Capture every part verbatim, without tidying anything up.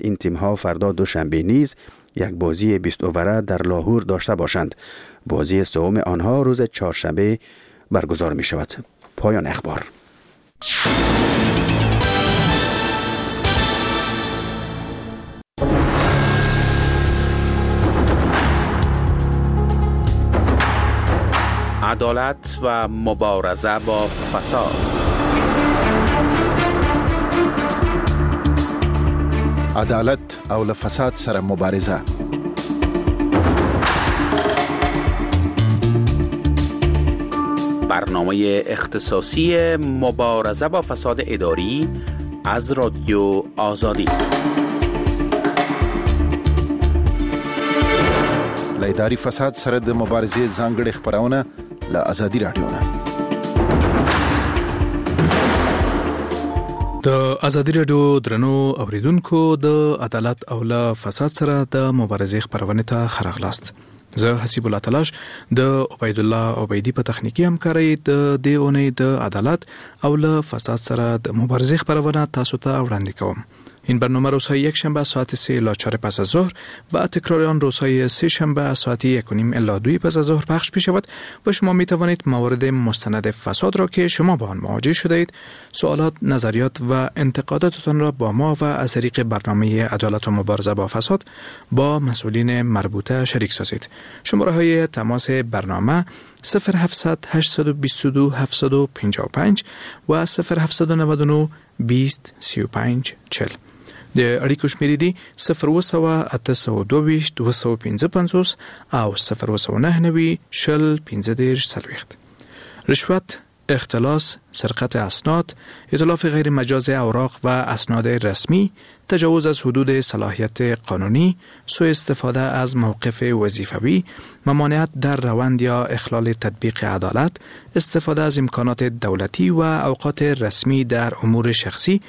این تیم‌ها فردا دوشنبه نیز یک بازی بیست اووره در لاهور داشته باشند. بازی سوم آنها روز چهارشنبه برگزار می شود. پایان اخبار. عدالت و مبارزه با فساد. عدالت او له فساد سره مبارزه. برنامه اختصاصی مبارزه با فساد اداری از رادیو آزادی. له اداري فساد سره د مبارزې ځانګړې خپرونه له ازادي راډیو نه. د ازادي راډیو درنو اوریدونکو، د عدالت او له فساد سره د مبارزې خپرونې ته ښه راغلاست. زه حسیب الله تلاش د عبیدالله عبیدي په تخنیکي همکارۍ د دې اونۍ د عدالت او له فساد سره د مبارزې خپرونه تاسو ته وړاندې کوم. این برنامه روزهای یک شنبه ساعت سه الی چهار پس از ظهر و تکرار آن روزهای سه شنبه ساعت یک و نیم الی دو پس از ظهر پخش می شود و شما می توانید موارد مستند فساد را که شما با آن مواجه شده اید، سوالات، نظریات و انتقاداتتان را با ما و از طریق برنامه عدالت و مبارزه با فساد با مسئولین مربوطه شریک سازید. شماره های تماس برنامه صفر هفت هشت دو دو هفت پنج پنج و صفر هفت نه نه بیست سی و پنج چهل. د اړیکو شمېرې دي صفر اووه سوه اته سوه دوه ویشت دوه سوه پنځه پنځوس او صفر اووه سوه نهه نوي شل پنځه دېرش څلوېښت. رشوت، اختلاس، سرقت اسناد، اتلاف غیر مجاز اوراق و اسناد رسمی، تجاوز از حدود صلاحیت قانونی، سوء استفاده از موقف وظیفوی، ممانعت در روند یا اخلال تطبیق عدالت، استفاده از امکانات دولتی و اوقات رسمی در امور شخصی،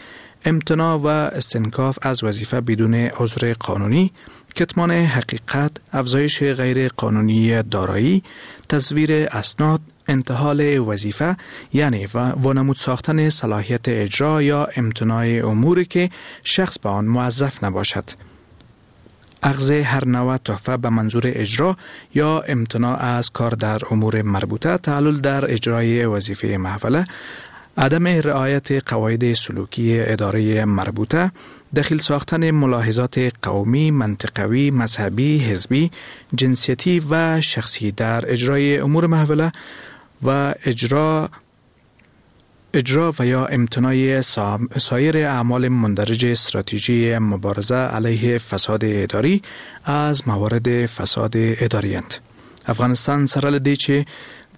امتناع و استنکاف از وظیفه بدون عذر قانونی، کتمان حقیقت، افزایش غیر قانونی دارایی، تزویر اسناد، انتحال وظیفه یعنی وانمود ساختن صلاحیت اجرا یا امتناع اموری که شخص به آن موظف نباشد، اخذ هر نوع تحفه به منظور اجرا یا امتناع از کار در امور مربوطه، تعلل در اجرای وظیفه محوله، عدم رعایت قواعد سلوکی اداره مربوطه، دخیل ساختن ملاحظات قومی، منطقوی، مذهبی، حزبی، جنسیتی و شخصی در اجرای امور محوله و اجرا اجرا و یا امتناع سایر اعمال مندرج استراتژی مبارزه علیه فساد اداری از موارد فساد اداری اند. افغانستان سره له دې چې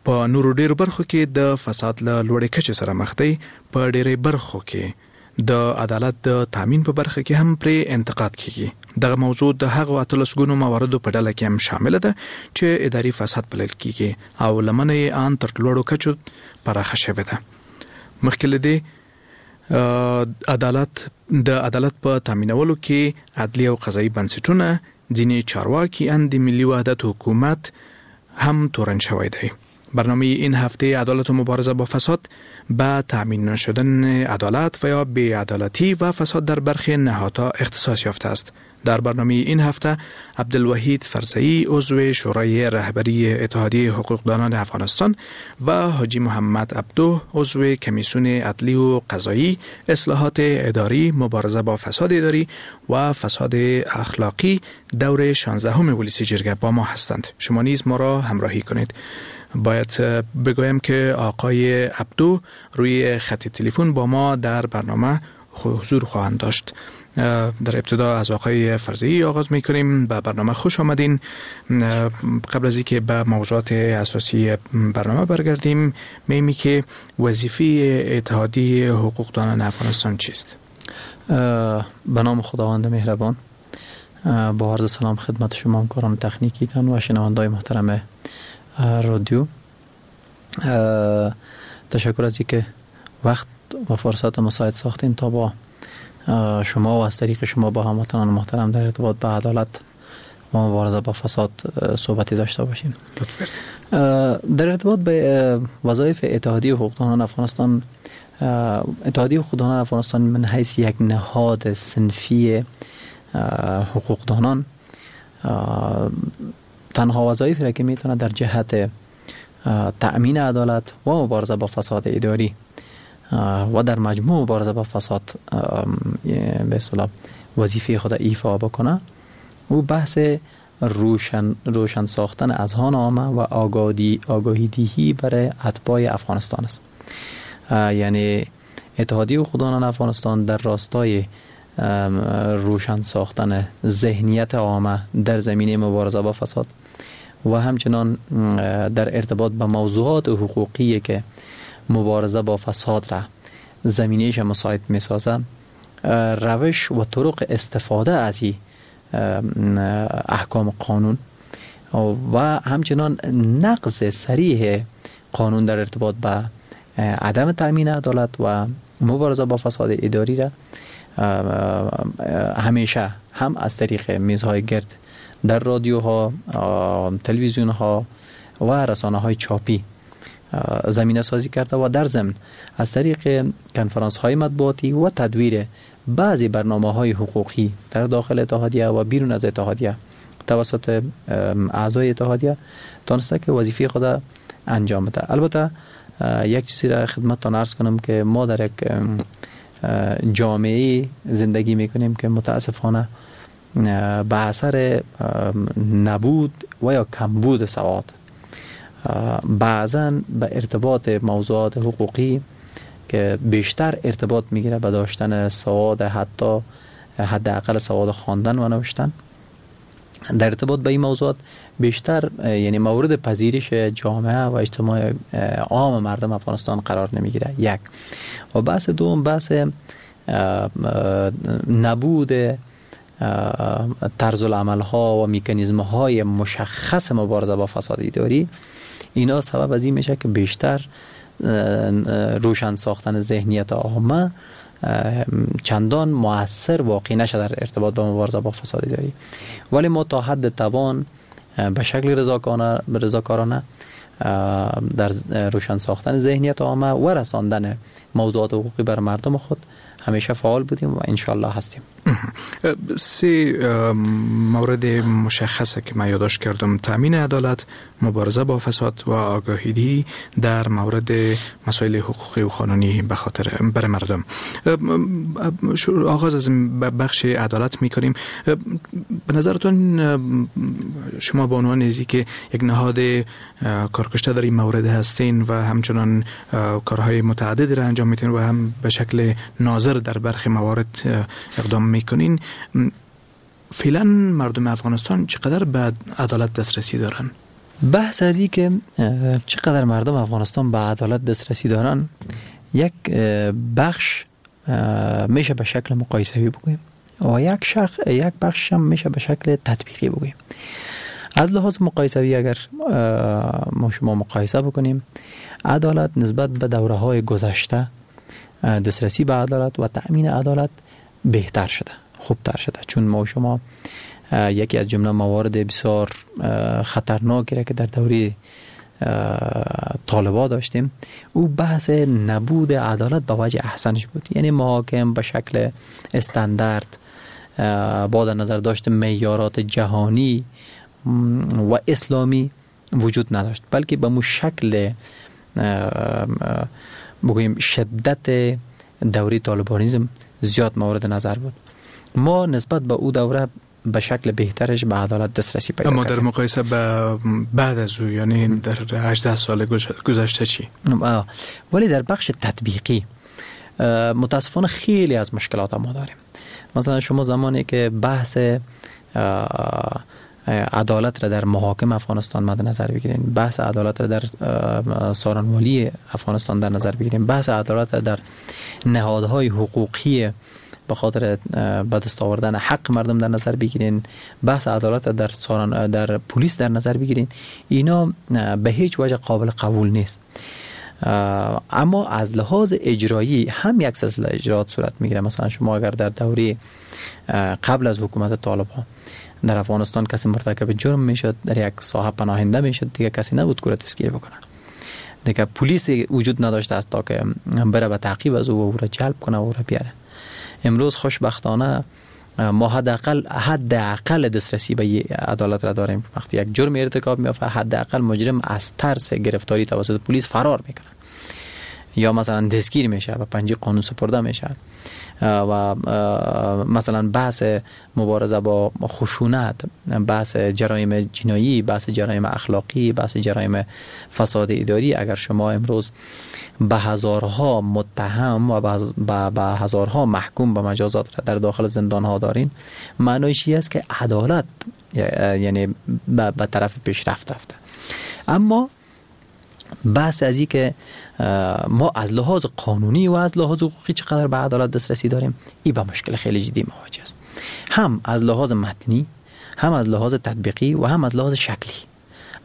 په نورو ډیرو برخو کې د فساد له لوړې کچې سره مخ دی، په ډیری برخو کې د عدالت د تامین په برخه کې هم پرې انتقاد کیږي. دغه موضوع د هغو اتلس ګونو مواردو په ډله کې هم شامله ده چې اداري فساد بلل کیږي او لمنه یې آن تر لوړو کچو پراخه شوې ده. مخکې له دې عدالت د عدالت په تامینولو کې عدلي او قضایي بنسټونه، ځینې چارواکي ان د ملي وحدت حکومت هم تورن شوی دی. برنامه این هفته عدالت و مبارزه با فساد به تامین نشدن عدالت و یا بی‌عدالتی و فساد در برخی نهادها اختصاص یافته است. در برنامه این هفته عبدالوحید فرزه‌ای عضو شورای رهبری اتحادیه حقوقدانان افغانستان و حاجی محمد عبدو عضو کمیسیون عدلی و قضایی اصلاحات اداری، مبارزه با فساد اداری و فساد اخلاقی دور شانزدهم ولسی جرگه با ما هستند. شما نیز ما را همراهی کنید. باید بگویم که آقای عبدو روی خط تلفن با ما در برنامه حضور خواهند داشت. در ابتدا از آقای فرزه‌ای آغاز میکنیم. به برنامه خوش آمدین. قبل از اینکه به موضوعات اساسی برنامه برگردیم، میمی که وظیفه اتحادیه حقوقدانان افغانستان چیست؟ به نام خداوند مهربان، با عرض سلام خدمت شما همکاران تکنیکیتان و شنوندای محترم رادیو. تشکر از اینکه وقت و فرصت مساعد ساختین تا با شما و از طریق شما با هموطنان محترم در ارتباط به عدالت و مبارزه با فساد صحبتی داشته باشیم. در ارتباط به وظایف اتحادیه حقوقدانان افغانستان، اتحادیه حقوقدانان افغانستان من حیث یک نهاد صنفی حقوقدانان تنها وظایفی را که میتونه در جهت تأمین عدالت و مبارزه با فساد اداری و در مجموع مبارزه با فساد به اصطلاح وظیفه خود ایفا بکنه، او بحث روشن روشن ساختن اذهان عامه و آگاهی آگاهی دهی برای اتباع افغانستان است. یعنی اتحادیه حقوقدانان افغانستان در راستای روشن ساختن ذهنیت عامه در زمینه مبارزه با فساد و همچنان در ارتباط با موضوعات حقوقی که مبارزه با فساد را زمینه‌اش مساعد می‌سازه، روش و طرق استفاده از این احکام قانون و همچنان نقض صریح قانون در ارتباط با عدم تأمین عدالت و مبارزه با فساد اداری را همیشه هم از طریق میزهای گرد در رادیوها، تلویزیونها و رسانه های چاپی زمینه سازی کرده و در ضمن از طریق کنفرانس های مطبوعاتی و تدویر بعضی برنامه های حقوقی در داخل اتحادیه و بیرون از اتحادیه توسط اعضای اتحادیه تانسته که وظیفه خود انجام بده. البته یک چیزی را خدمتتان عرض کنم که ما در یک جامعه زندگی میکنیم که متاسفانه به اثر نبود و یا کمبود سواد بعضا به ارتباط موضوعات حقوقی که بیشتر ارتباط میگیره به داشتن سواد، حتی حداقل سواد خواندن و نوشتن، در ارتباط به این موضوعات بیشتر یعنی مورد پذیرش جامعه و اجتماع عام مردم افغانستان قرار نمیگیره. یک و بحث دوم بحث نبود طرز العمل ها و میکانیزم های مشخص مبارزه با فساد اداری، اینا سبب از این میشه که بیشتر روشن ساختن ذهنیت عامه چندان مؤثر واقع نشه در ارتباط با مبارزه با فساد اداری. ولی ما تا حد توان به شکل رضاکارانه رضاکارانه در روشن ساختن ذهنیت عامه و رساندن موضوعات حقوقی بر مردم خود همیشه فعال بودیم و انشالله هستیم. سه مورد مشخصه که من یادداشت کردم: تامین عدالت، مبارزه با فساد و آگاهی دهی در مورد مسائل حقوقی و قانونی به خاطر بر مردم. آغاز از بخش عدالت میکنیم. به نظرتون شما به عنوان ازی که یک نهاد کارکشته در این مورد هستین و همچنان کارهای متعددی را انجام میتین و هم به شکل ناظر در برخی موارد اقدام میکنین، فعلا مردم افغانستان چقدر به عدالت دسترسی دارن؟ بحث از این که چقدر مردم افغانستان به عدالت دسترسی دارن، یک بخش میشه به شکل مقایسه‌ای بگوییم و یک شخ یک بخش هم میشه به شکل تطبیقی بگوییم. از لحاظ مقایسه‌ای اگر ما شما مقایسه بکنیم، عدالت نسبت به دوره‌های گذشته دسترسی به عدالت و تأمین عدالت بهتر شده، خوبتر شده، چون ما شما یکی از جمله موارد بسیار خطرناکی را که در دوره طالبا داشتیم، او بحث نبود عدالت به وجه احسنش بود. یعنی محاکم به شکل استاندارد با در نظر داشت معیارات جهانی و اسلامی وجود نداشت، بلکه به مو شکل بگوییم شدت دوره طالبانیزم زیاد مورد نظر بود. ما نسبت به او دوره به شکل بهترش به عدالت دسترسی پیدا اما کردیم. در مقایسه به بعد از او، یعنی در هجده سال گذشته چی؟ ولی در بخش تطبیقی متاسفانه خیلی از مشکلات ما داریم. مثلا شما زمانی که بحث عدالت را در محاکم افغانستان مد نظر بگیرین، بحث عدالت را در سارنوالی افغانستان در نظر بگیرین، بحث عدالت را در نهادهای حقوقی به خاطر به دست آوردن حق مردم در نظر بگیرین، بحث عدالت در سارن در پلیس در نظر بگیرین، اینا به هیچ وجه قابل قبول نیست. اما از لحاظ اجرایی هم یک سلسله اجراات صورت میگیره. مثلا شما اگر در دوره قبل از حکومت طالبان در افغانستان کسی مرتکب جرم میشد، در یک ساحه پناهنده میشد، دیگه کسی نبود که دستگیر بکنه، دیگه پلیس وجود نداشته است تا که بره به تعقیب از او و او را جلب کنه و او را بیاره. امروز خوشبختانه ما حداقل حداقل دسترسی به عدالت را داریم. وقتی یک جرم ارتکاب میافته حداقل مجرم از ترس گرفتاری توسط پلیس فرار میکنه یا مثلا دستگیر میشه و پنجه قانون سپرده میشه. و مثلا بحث مبارزه با خشونت، بحث جرایم جنایی، بحث جرایم اخلاقی، بحث جرایم فساد اداری، اگر شما امروز به هزارها متهم و به هزارها محکوم به مجازات را در داخل زندان ها دارین، معنیش این است که عدالت یعنی به طرف پیشرفت رفته. اما بحث از این که ما از لحاظ قانونی و از لحاظ حقوقی چقدر به عدالت دسترسی داریم، این با مشکل خیلی جدی مواجه است، هم از لحاظ متنی، هم از لحاظ تطبیقی و هم از لحاظ شکلی.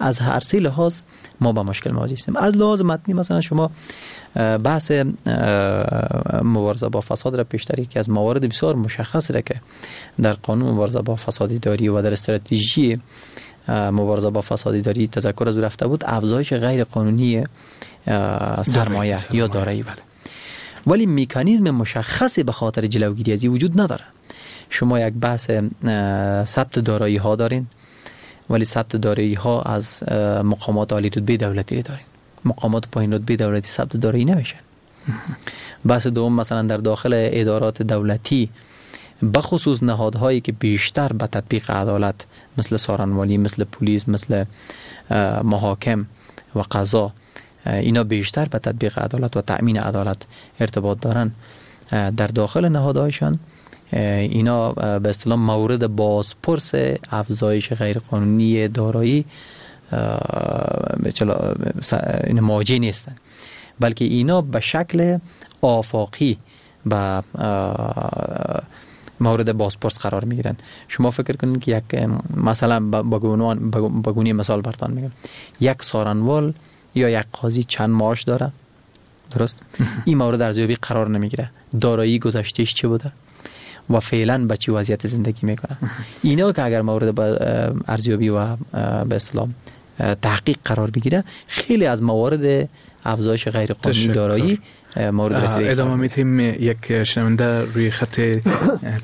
از هر سه لحاظ ما با مشکل مواجه هستیم. از لحاظ متنی مثلا شما بحث مبارزه با فساد را پیشتر که از موارد بسیار مشخص را که در قانون مبارزه با فساد اداری و در استراتژی مبارزه با فساد اداری تذکر از رفته بود، افزایش غیر قانونی سرمایه یا دارایی بود، ولی مکانیزم مشخصی به خاطر جلوگیری از این وجود نداره. شما یک بحث ثبت دارایی ها دارین، ولی ثبت دارایی ها از مقامات عالی رتبه دولتی دارین، مقامات پایین رتبه دولتی ثبت دارایی نمیشن. بحث دوم مثلا در داخل ادارات دولتی بخصوص نهادهایی که بیشتر به تطبیق عدالت مثل سارنوالی، مثل پلیس، مثل محاکم و قضا، اینا بیشتر به تطبیق عدالت و تأمین عدالت ارتباط دارن، در داخل نهادهایشان اینا به اصطلاح مورد بازپرس افزایش غیرقانونی دارایی این مواجه نیستن، بلکه اینا به شکل آفاقی به مورد بازپرس قرار میگیرن. شما فکر کنید که یک مثلا با گونه مثال براتون میگم، یک سارنوال یا یک قاضی چند معاش داره، درست؟ این مورد ارزیابی قرار نمیگیره، دارایی گذشتهش چه بوده و فعلا به چه وضعیت زندگی میکنه. اینا که اگر مورد ارزیابی و به اصطلاح تحقیق قرار بگیره، خیلی از موارد افزایش غیر قانونی دارایی مورد رسیدگی. ادامه میتیم. یک شنونده روی خط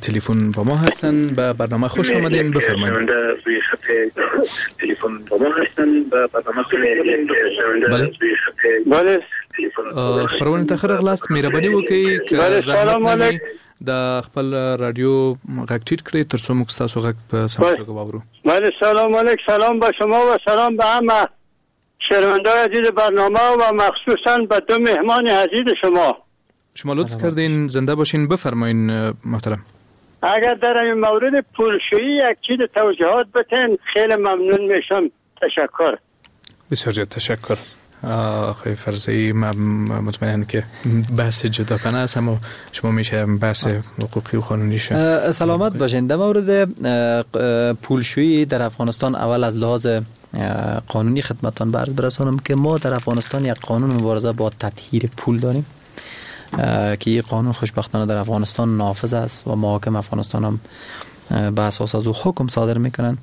تلفن با ما هستن، به برنامه خوش آمدین، بفرمایید. شنونده روی خط تلفن با ما هستن، به برنامه خوش آمدین. بله بله، خپرونې ته ښه راغلاست، مهرباني وکړئ که زحمت نه وي د خپل رادیو غږ ټیټ کړئ تر څو موږ ستاسو غږ په سمه توګه واورو. بله سلام علیک، سلام به شما و سلام به همه شنونده‌های عزیز برنامه و مخصوصا به دو مهمان عزیز شما. شما لطف کردین، زنده باشین، بفرمایین محترم. اگر در این مورد پولشویی یک چیز توضیحات بتین خیلی ممنون میشم. تشکر. بسیار زیاد تشکر. آقای فرزه‌ای، من مطمئنم که بحث جداگانه است، اما شما میشه بحث حقوقی و قانونی شد. سلامت باشین. در مورد پولشویی در افغانستان اول از لحاظ قانونی خدمتتان عرض برسانم که ما در افغانستان یک قانون مبارزه با تطهیر پول داریم که این قانون خوشبختانه در افغانستان نافذ است و محاکم افغانستان هم به اساس از او حکم صادر میکنن.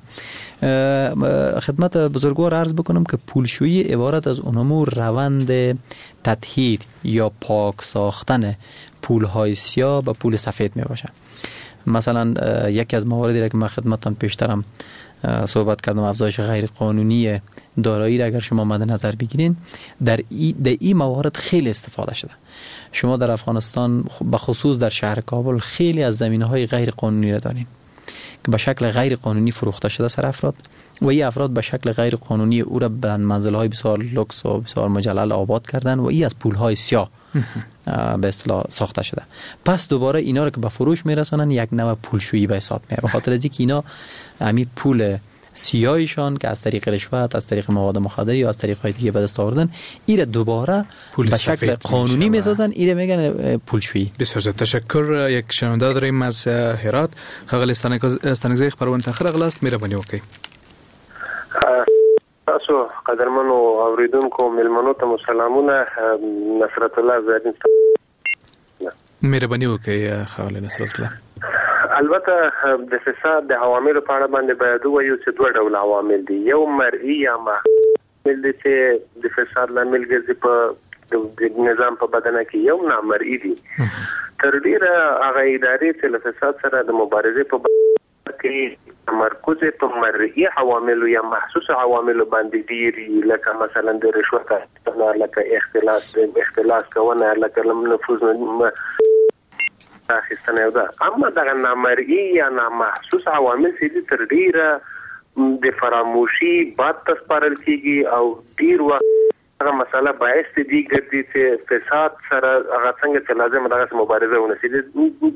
خدمت بزرگوار عرض بکنم که پولشویی عبارت از اونمو روند تطهیر یا پاک ساختن پولهای سیاه به پول سفید می باشه. مثلا یکی از مواردی را که من خدمتتان پیشترم صحبت کردم، افزایش غیر قانونی دارایی را اگر شما مد نظر بگیرین، در ای در این موارد خیلی استفاده شده. شما در افغانستان به خصوص در شهر کابل خیلی از زمینهای غیر قانونی را دارین که به شکل غیر قانونی فروخته شده سر افراد و این افراد به شکل غیر قانونی او را به منزل‌های بسیار لوکس و بسیار مجلل آباد کردن و این از پول‌های سیاه به اصطلاح ساخته شده. پس دوباره اینا رو که به فروش میرسانن یک نوع پولشویی به حساب میاد، به خاطر از اینکه اینا همین پول سیاهشان که از طریق رشوت، از طریق مواد مخدر یا از طریق های دیگه به دست آوردن، ایره دوباره به شکل قانونی میسازن، ایره میگن پولشویی. بسیار زیاد تشکر. یک شنونده داریم از هرات، ښاغلی ستانکزی، خپرونې ته ښه راغلاست، مهرباني وکړئ. تاسو قدرمنو اوریدونکو میلمنو ته مو سلامونه. نصرت الله زرین، مهرباني وکړئ ښاغلی نصرت الله. البته د فساد د عواملو په اړه باندې باید ووایو چې دوه ډول عوامل دي. یو مرئی یا عامل دی چې د فساد لامل ګرځي په د نظام په بدنه کې، یو نامرئی دي. تر ډیره هغه ادارې چې له فساد سره د مبارزې په برخه کې تمرکز په مرئي عواملو یا محسوس عواملو باندې ډیر، لکه مثلا د رشوت اخیستنه، لکه اختلاس اختلاس کوونه، لکه نفوذ اخیستنه ده. اما دغه نامرئي یا نامحسوس عوامل چې دي تر ډیره د فراموشي باد ته سپارل کیږي او ډیر وخت هغه مسله باعث دي ګرځي چې فساد سره هغه څنګه چې لازم دغه مبارزه ونه شي.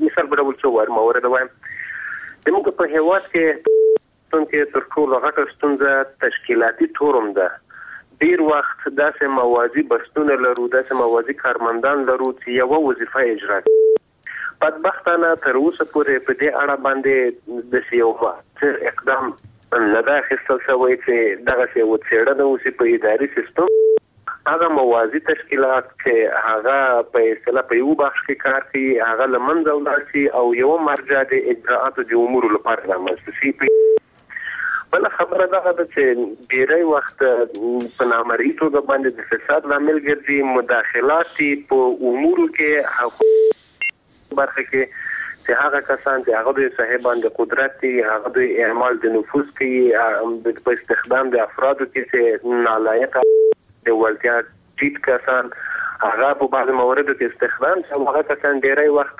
مثال په ډول څو وار مورد وایم، زموږ په هیواد کې کې تر ټولو غټه ستونزه تشکیلاتي تورم ده. ډیر وخت داسې موازي بستونه لرو، داسې موازي کارمندان لرو چې یوه وظیفه اجرا کوي. بدبختانه تر اوسه پورې په دې اړه باندې داسې یو مؤثر اقدام نه ده اخیستل شوی چې دغسې یوه څېړنه وشي په اداري سیستم. هغه موازي تشکیلات چې هغه په اصطلاح په یو بخش کې کار کوي هغه له منځه ولاړ شي او یوه مرجع د اجرااتو د امورو لپاره رامنځته شي. بله خبره دغه ده چې ډېری وخت په نامرئي توګه باندې د فساد لامل ګرځي مداخلات په امورو کې برخه کې چې هغه کسان چې هغه دوی صاحبان د قدرت دي، هغه دوی اعمال د نفوذ کوي په استخدام د افرادو کې چې نالایقه د وړتیا ټیټ کسان هغه په بعض مواردو کې استخدام شي، هغه کسان ډېری وخت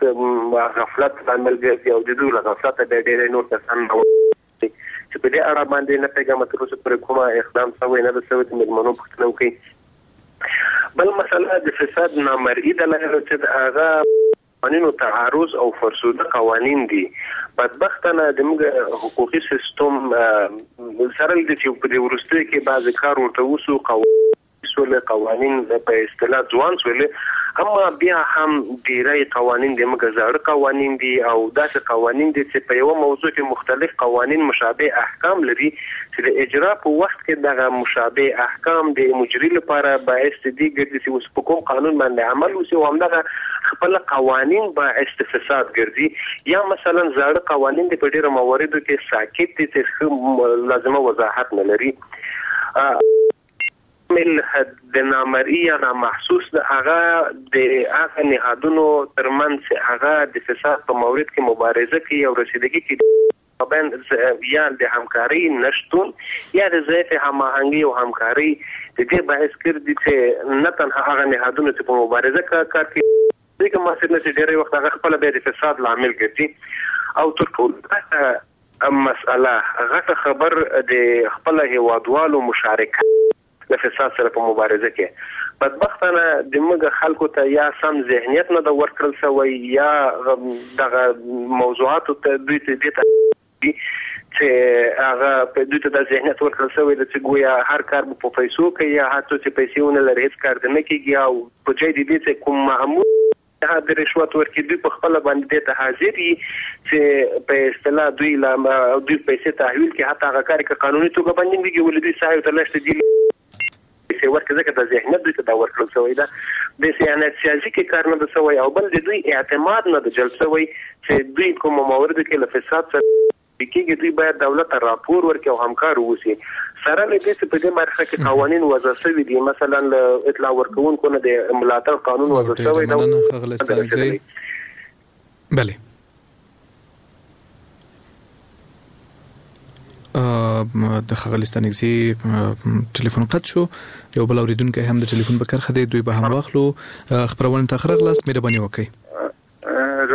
غفلت لامل ګرځي او د دوی له غفلته بیا ډېری نور کسان چې په دې اړه باندې نه پوهېږم تر اوسه پورې کومه اقدام سوی نه ده سوی چې مېلمنو پوښتنه وکړي. بل مسله د فساد نامرئي دلایلو چې هغه قوانینو تعارض او فرسوده قوانین دي. بدبختانه د موږ حقوقي سیستم سره له دې چې په دې وروستیو کې بعضې کار ورته وسو، سول قوانین په اصطلاح ځوان سول، اما بیا هم ډیری قوانین د موږ زاړه قوانین دي او داسې قوانین دي چې په یوه موضوع کې مختلف قوانین مشابه احکام لري چې د اجرا په وخت کې دغه مشابه احکام د مجري لپاره باعث دي ګرځي چې اوس په کوم قانون باندې عمل وشي او همدغه خپل قوانین باعث د فساد ګرځي. یا مثلا زاړه قوانین دي په ډیرو مواردو کې ساکت دي چې ښه لازمه وضاحت نه لري. د نامرئي یا نامحسوس د هغه د هغه نهادونو ترمنځ هغه د فساد په مورد کې مبارزه کوي او رسیدګي کوي یا د همکارۍ نشتون یا د ضعیف هماهنګي او همکارۍ د دې باعث ګرځي چې نه تنها هغه نهادونه چې په مبارزه کار کوي ځکه مؤثر نه چې ډېری وخت هغه خپله بیا د فساد لامل ګرځي. او تر ټولو مسئله غټه خبر د خپل هیوادوالو مشارکت له فساد سره په مبارزه کې بدبختانه د موږ خلکو ته یا سم ذهنیت نه ده ورکړل شوی یا دغه موضوعاتو ته دوی ته دې ته چې هغه په دوی ته دا ذهنیت ورکړل شوی دی چې ګویا هر کار به په پیسو کوي یا هر څوک چې پیسې ونه لري هېڅ کار دې نه کېږي او په ځای د دې چې کوم معمول د رشوت ورکړي دوی په خپله باندې دې ته حاضر دي چې په اصطلاح دوی له دوی پیسې تحویل کړي، حتی هغه کار که قانوني توګه باندې نه کېږي ولې دوی ساحې ته لښتې دي پیسې ورکړي ځکه د ذهنیت دوی ته دا ورکړل شوی ده. د صیانت سیاسي کې کار نه ده شوی او بل د دوی اعتماد نه ده جلب شوی چې دوی کومو مواردو کې له فساد سره کېږي دوی باید دولت ته راپور ورکړي او همکار واوسي. سره له دې چې په دې برخه کې قوانین وضع شوي دي، مثلا له اطلاع ورکوونکو نه د ملاتړ قانون وضع شوی دی. بله د ښاغلي ستانکزي ټلیفون قطع شو. یو بل اوریدونکی هم د ټلیفون په کرښه دی، دوی به هم واخلو. خپرونې ته ښه راغلاست، مهرباني وکړئ.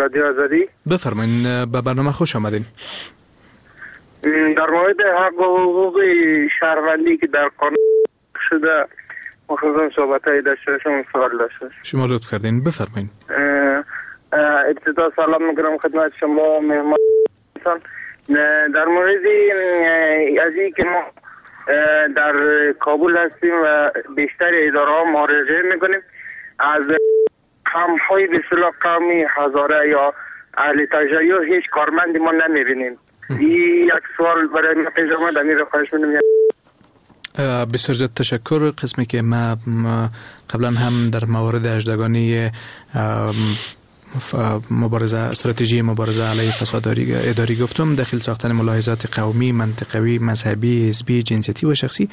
رادیو آزادی بفرمایئ، به برنامه خوش آمدین. در مورد حق و حقوق شهروندی که در قانون شده مخصوصا صحبت های داشته باشم سوال داشته. شما لطف کردین، بفرمایید. ابتدا سلام میکنم خدمت شما مهمان. در مورد از این که ما در کابل هستیم و بیشتر اداره ها مراجعه میکنیم از همهای به اصطلاح قومی هزاره یا اهل تشیع هیچ کارمندی ما نمیبینیم. این یک سوال برای ما پیش آمد، امیر خواهش می‌کنم. بسیار زیاد تشکر. قسمی که ما قبلا هم در موارد اجدگانی مبارزه استراتژی مبارزه علیه فساد اداری گفتم، دخیل ساختن ملاحظات قومی، منطقوی، مذهبی، حزبی، جنسیتی و شخصی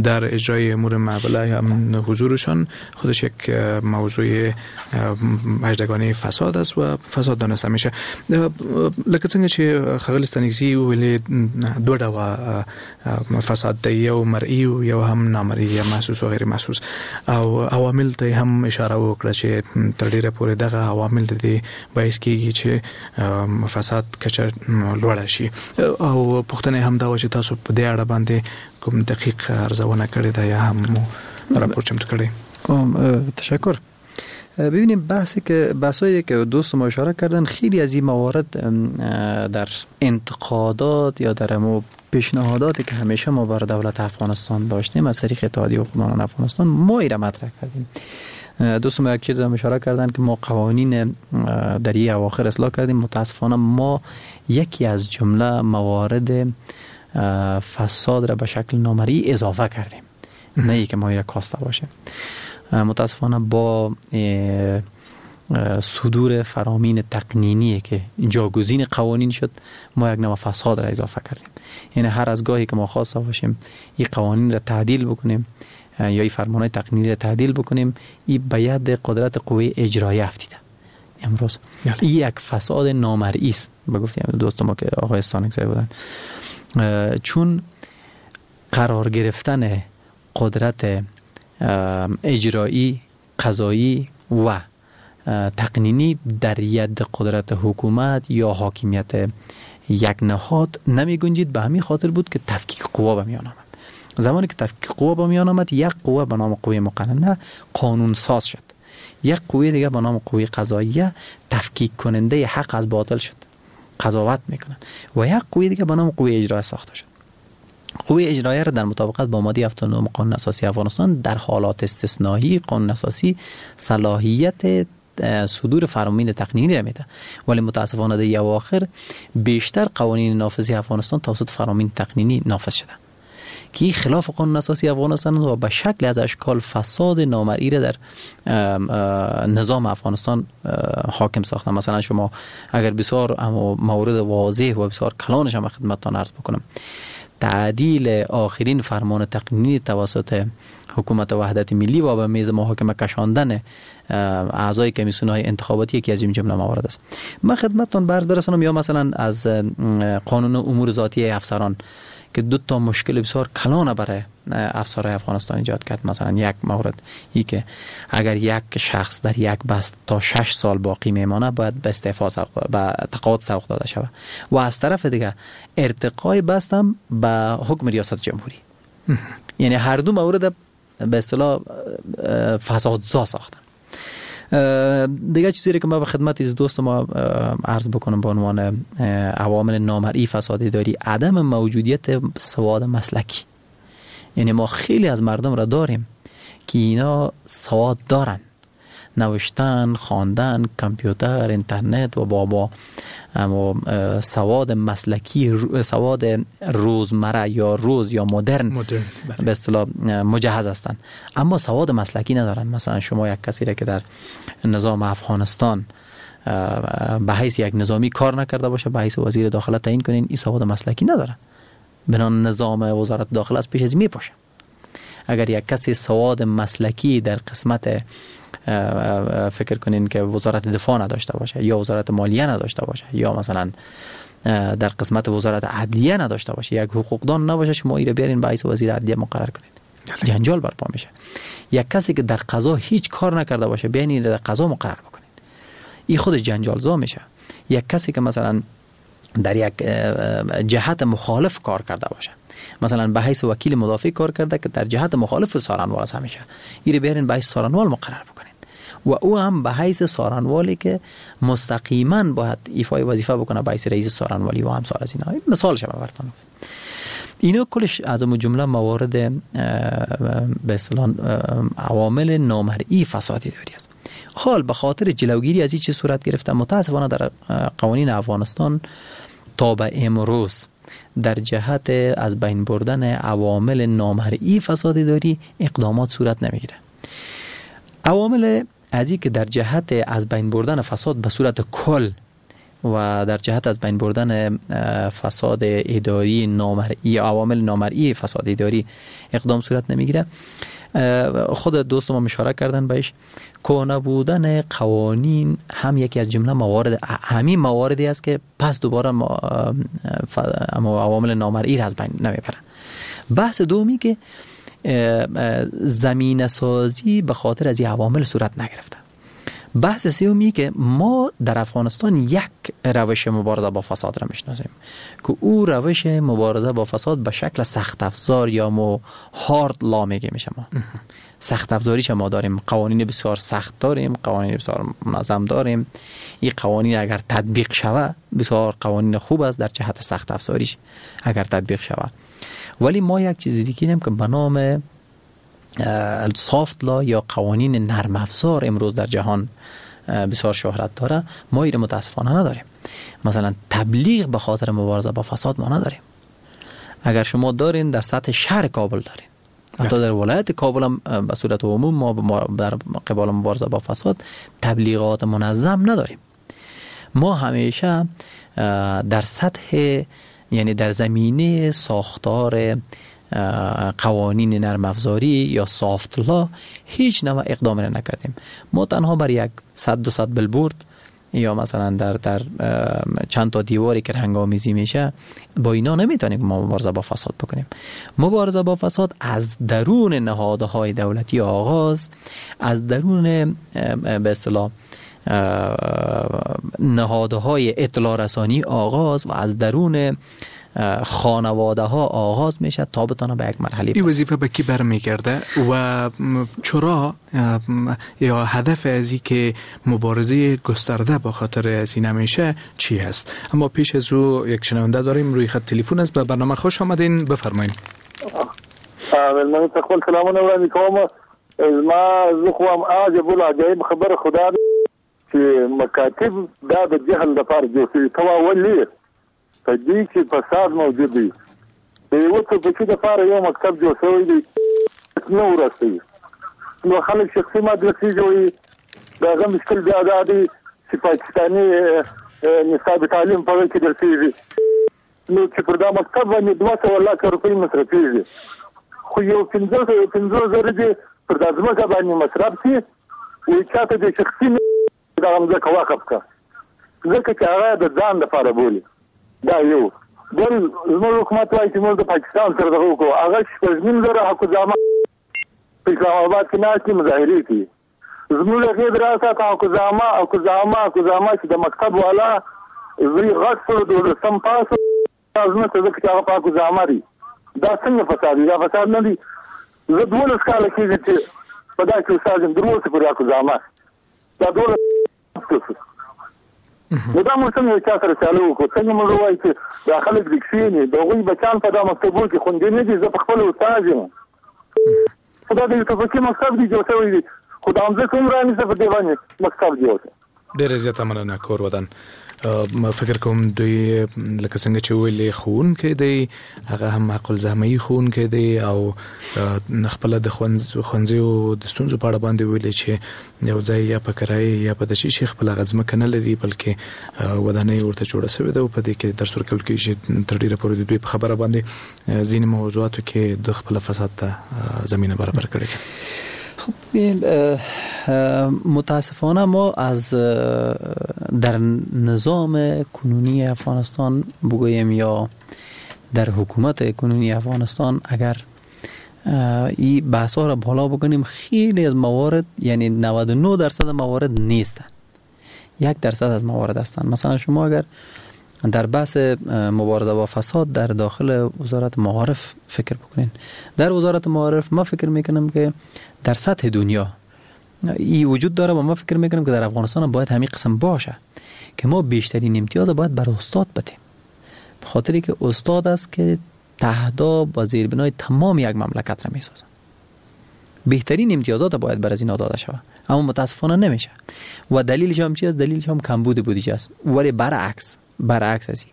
در اجرای امور معامله هم حضورشان خودش یک موضوع هجدگانه فساد است و فساد دانسته میشه. لکه څنګه چې ښاغلي ستانکزي ویلي، دوه ډوله فساد دی، یو مرئی او یو هم نامرئی یا محسوس و غیر محسوس، او عوامل ته هم اشاره وکړه چې تر ډیره پورې دغه عوامل د دې باعث کیږي چې فساد کچه لوړه شي. او پوښتنه هم دا وه چې تاسو په دې اړه باندې کوم دقیق ارزونه کړې ده یا هم مو راپور چمتو کړی؟ تشکر. ببینیم بحثی که بحثایی که دوست ما اشاره کردن، خیلی از این موارد در انتقادات یا در مو پیشنهاداتی که همیشه ما بر دولت افغانستان داشتیم از طریق اتحادیه حقوقدانان افغانستان ما ای را مطرح کردیم. دوست ما یک چیز هم اشاره کردن که ما قوانین در این اواخر اصلاح کردیم. متاسفانه ما یکی از جمله موارد فساد را به شکل نامرئی اضافه کردیم، نه ای که ما را کاسته باشه. متاسفانه با صدور فرامین تقنینی که جاگزین قوانین شد، ما یک نوع فساد را اضافه کردیم. یعنی هر از گاهی که ما خواسته باشیم این قوانین را تعدیل بکنیم یا این فرمانهای تقنینی را تعدیل بکنیم، این به ید قدرت قوه اجرایی افتیده امروز. این یک فساد نامرئی است به گفته دوست ما که آقای استانکزی بودن، چون قرار گرفتن قدرت اجرایی، قضایی و تقنینی در ید قدرت حکومت یا حاکمیت یک نهاد نمی گنجید. به همین خاطر بود که تفکیک قوا به میان آمد. زمانی که تفکیک قوا به میان آمد، یک قوه به نام قوه مقننه قانون ساز شد، یک قوه دیگه به نام قوه قضاییه تفکیک کننده حق از باطل شد، قضاوت میکنن، و یک قوه دیگه به نام قوه اجرایی ساخته شد. قوه اجراییه را در مطابقت با ماده هفتاد و نه قانون اساسی افغانستان در حالات استثنایی قانون اساسی صلاحیت صدور فرامین تقنینی را میده، ولی متاسفانه در اواخر بیشتر قوانین نافذی افغانستان توسط فرامین تقنینی نافذ شده که خلاف قانون اساسی افغانستان و به شکل از اشکال فساد نامرئی را در نظام افغانستان حاکم ساخته. مثلا شما اگر بسیار مورد واضح و بسیار کلانش هم خدمتتان عرض بکنم، تعدیل آخرین فرمان تقنینی توسط حکومت وحدت ملی و به میز محاکمه کشاندن اعضای کمیسیون های انتخاباتی یکی از این جمله موارد است. من خدمتتان برز برسانم، یا مثلا از قانون امور ذاتی افسران که دو تا مشکل بسیار کلان برای افسرهای افغانستان ایجاد کرد. مثلا یک مورد ای که اگر یک شخص در یک بست تا شش سال باقی میمانه باید به استعفا سوق، به تقاعد سوق داده شود، و از طرف دیگه ارتقای بست هم به حکم ریاست جمهوری. یعنی هر دو مورد به اصطلاح فسادزا ساختن. دیگه چیزی که ما به خدمت از دوست ما عرض بکنم به عنوان عوامل نامرئی فساد اداری، عدم موجودیت سواد مسلکی. یعنی ما خیلی از مردم را داریم که اینا سواد دارن، نوشتن، خواندن، کامپیوتر، اینترنت و بابا سواد مسلکی، سواد روزمره یا روز یا مدرن, مدرن. به اصطلاح مجهز هستند، اما سواد مسلکی ندارن. مثلا شما یک کسی را که در نظام افغانستان به حیث یک نظامی کار نکرده باشه به حیث وزیر داخله تعیین کنین، این سواد مسلکی نداره، بنا نظام وزارت داخله از پیش از میپاشه. اگر یک کسی سواد مسلکی در قسمت فکر کنین که وزارت دفاع نداشته باشه یا وزارت مالیه نداشته باشه یا مثلا در قسمت وزارت عدلیه نداشته باشه، یک حقوقدان نباشه، شما ایره بیارین به حیث وزیر عدلیه مقرر کنین، جنجال برپا میشه. یک کسی که در قضا هیچ کار نکرده باشه بیارین در قضا مقرر بکنین، این خودش جنجال زا میشه. یک کسی که مثلا در یک جهت مخالف کار کرده باشه، مثلا به حیث وکیل مدافع کار کرده که در جهت مخالف سارنوال است همیشه، ایره بیارین به حیث سارنوال مقرر بکنین و او هم به حیث سارنوالی که مستقیما باید ایفای وظیفه بکنه به حیث رئیس سارنوالی و همسال از اینا. مثال شما براتون اینا کلش از جمله موارد به اصطلاح عوامل نامرئی فساد اداری است. حال به خاطر جلوگیری از این چه صورت گرفته، متاسفانه در قوانین افغانستان تا به امروز در جهت از بین بردن عوامل نامرئی فساد اداری اقدامات صورت نمیگیره. عوامل از این که در جهت از بین بردن فساد به صورت کل و در جهت از بین بردن فساد اداری نامرئی، عوامل نامرئی فساد اداری اقدام صورت نمیگیره، خود دوست ما اشاره کردن بهش، کهنه بودن قوانین هم یکی از جمله موارد همین مواردی است که پس دوباره عوامل نامرئی را از بین نمیبره. بحث دومی که زمینه سازی به خاطر از این عوامل صورت نگرفته. بحث سومی که ما در افغانستان یک روش مبارزه با فساد را میشناسیم که او روش مبارزه با فساد به شکل سخت افزار یا مو هارد لا میگه میشه. ما سخت افزاریش ما داریم، قوانین بسیار سخت داریم، قوانین بسیار منظم داریم. این قوانین اگر تطبیق شوه بسیار قوانین خوب است در جهت سخت افزاریش اگر تطبیق شوه. ولی ما یک چیز دیگه داریم که به نام سافت لا یا قوانین نرم افزار امروز در جهان بسیار شهرت داره، ما این متاسفانه نداریم. مثلا تبلیغ به خاطر مبارزه با فساد ما نداریم. اگر شما دارین در سطح شهر کابل دارین، حتی در ولایت کابل هم به صورت عموم ما در قبال مبارزه با فساد تبلیغات منظم نداریم. ما همیشه در سطح، یعنی در زمینه ساختار قوانین نرم افزاری یا سافت لا هیچ نوع اقدام را نکردیم. ما تنها بر یک صد دو صد بلبورد یا مثلا در در چند تا دیواری که رنگ‌آمیزی میشه با اینا نمیتونیم ما مبارزه با فساد بکنیم. مبارزه با فساد از درون نهادهای دولتی آغاز، از درون به اصطلاح نهادهای اطلاع رسانی آغاز و از درون خانواده ها آغاز میشه تا بتانه به یک مرحله. این وظیفه به کی برمیگرده و چرا یا هدف از این که مبارزه گسترده با خاطر از این نمیشه چی هست؟ اما پیش از او یک شنونده داریم روی خط تلفن است. به برنامه خوش آمدین، بفرمایید. من خپل سلامونه وړاندې کوم. زما زه خو هم عجب العجایب خبره خدا چې مکاتب دا د جهل لپاره جوړ شوي، ته وا ولې په دې کې فساد موجود دی. د یو څه پکې دپاره یو مکتب جوړ شوی دی نه ورسوي، نو خلک شخصي مدرسې جوړوي. د هغه مشکل بیا دا دی چې پاکستاني نصاب تعلیم په هغه کې درسېږي، نو چې پر دا مکتب باندې دوه سوه لکه روپۍ مصرفېږي، خو یو پنځه پنځه زره دې پر دا ځمکه باندې مصرف شي، وایي چا ته دې شخصي دغه مځکه وقف کړه، ځکه چې هغه د ځان دپاره بولي. دا یو بل زموږ حکومت وایي چې موږ د پاکستان سره دغه وکړو، هغه شپږ نیم زره حکوزامه په اسلام آباد کې ناست دي مظاهرې کوي. زموږ هغې دراسه حکوزامه حکوزامه حکوزامه چې د مکتب والا زوی غټ شو دولسم پاس ځمکه ځکه چې هغه په حکوزامه دی. دا څنګه فساد دی؟ دا فساد نه دی. زه دولس کاله کېږي چې په دا کې استاد یم، تر اوسه پورې حکوزامه دا دولس. نو دا موږ څنګه چا سره سیالي وکړو؟ څنګه موږ وایو چې دا خلک دې کښېني، د هغوی بچیان په دا مکتبو کې خوندي نه دي. زه په خپله استاد یم، خو دا د یو ټوپکي مکتب دی جوړ شوی دی، خو دا مځکه هم رانیسه په دې باندې مکتب جوړ شو. ډېره زیاته مننه کور ودان. ما فکر کوم دوی لکه څنګه چې ویلې ښوونکی دی، هغه هم حق الزحمهيي ښوونکی دی او خپله د ښوونځیو د ستونزو په اړه باندې ویلې چې یو ځای یا په کرایه یا په دشي شي خپله هغه ځمکه نه لري، بلکې ودانۍ ورته جوړه شوې ده او په دې کې درس ورکول کېږي. تر ډېره پورې د دوی په خبره باندې ځینې موضوعاتو کې د خپله فساد ته زمینه برابر کړې ده. خب متاسفانه ما از در نظام کنونی افغانستان بگوییم یا در حکومت کنونی افغانستان اگر این بحث ها را بالا بکنیم خیلی از موارد، یعنی نود و نه درصد موارد نیستن، یک درصد از موارد هستند. مثلا شما اگر در بحث مبارزه با فساد در داخل وزارت معارف فکر بکنین، در وزارت معارف ما فکر میکنم که در سطح دنیا ای وجود داره و ما فکر میکنم که در افغانستان باید همین قسم باشه که ما بیشترین امتیاز باید بر استاد بدیم، به خاطری که استاد است که تهداب و زیربنای تمام یک مملکت را میسازه. بهترین امتیازات باید بر از اینا داده شود، اما متاسفانه نمیشه و دلیلش هم چی است؟ دلیلش هم کمبود بودجه است. ولی برعکس برعکس است،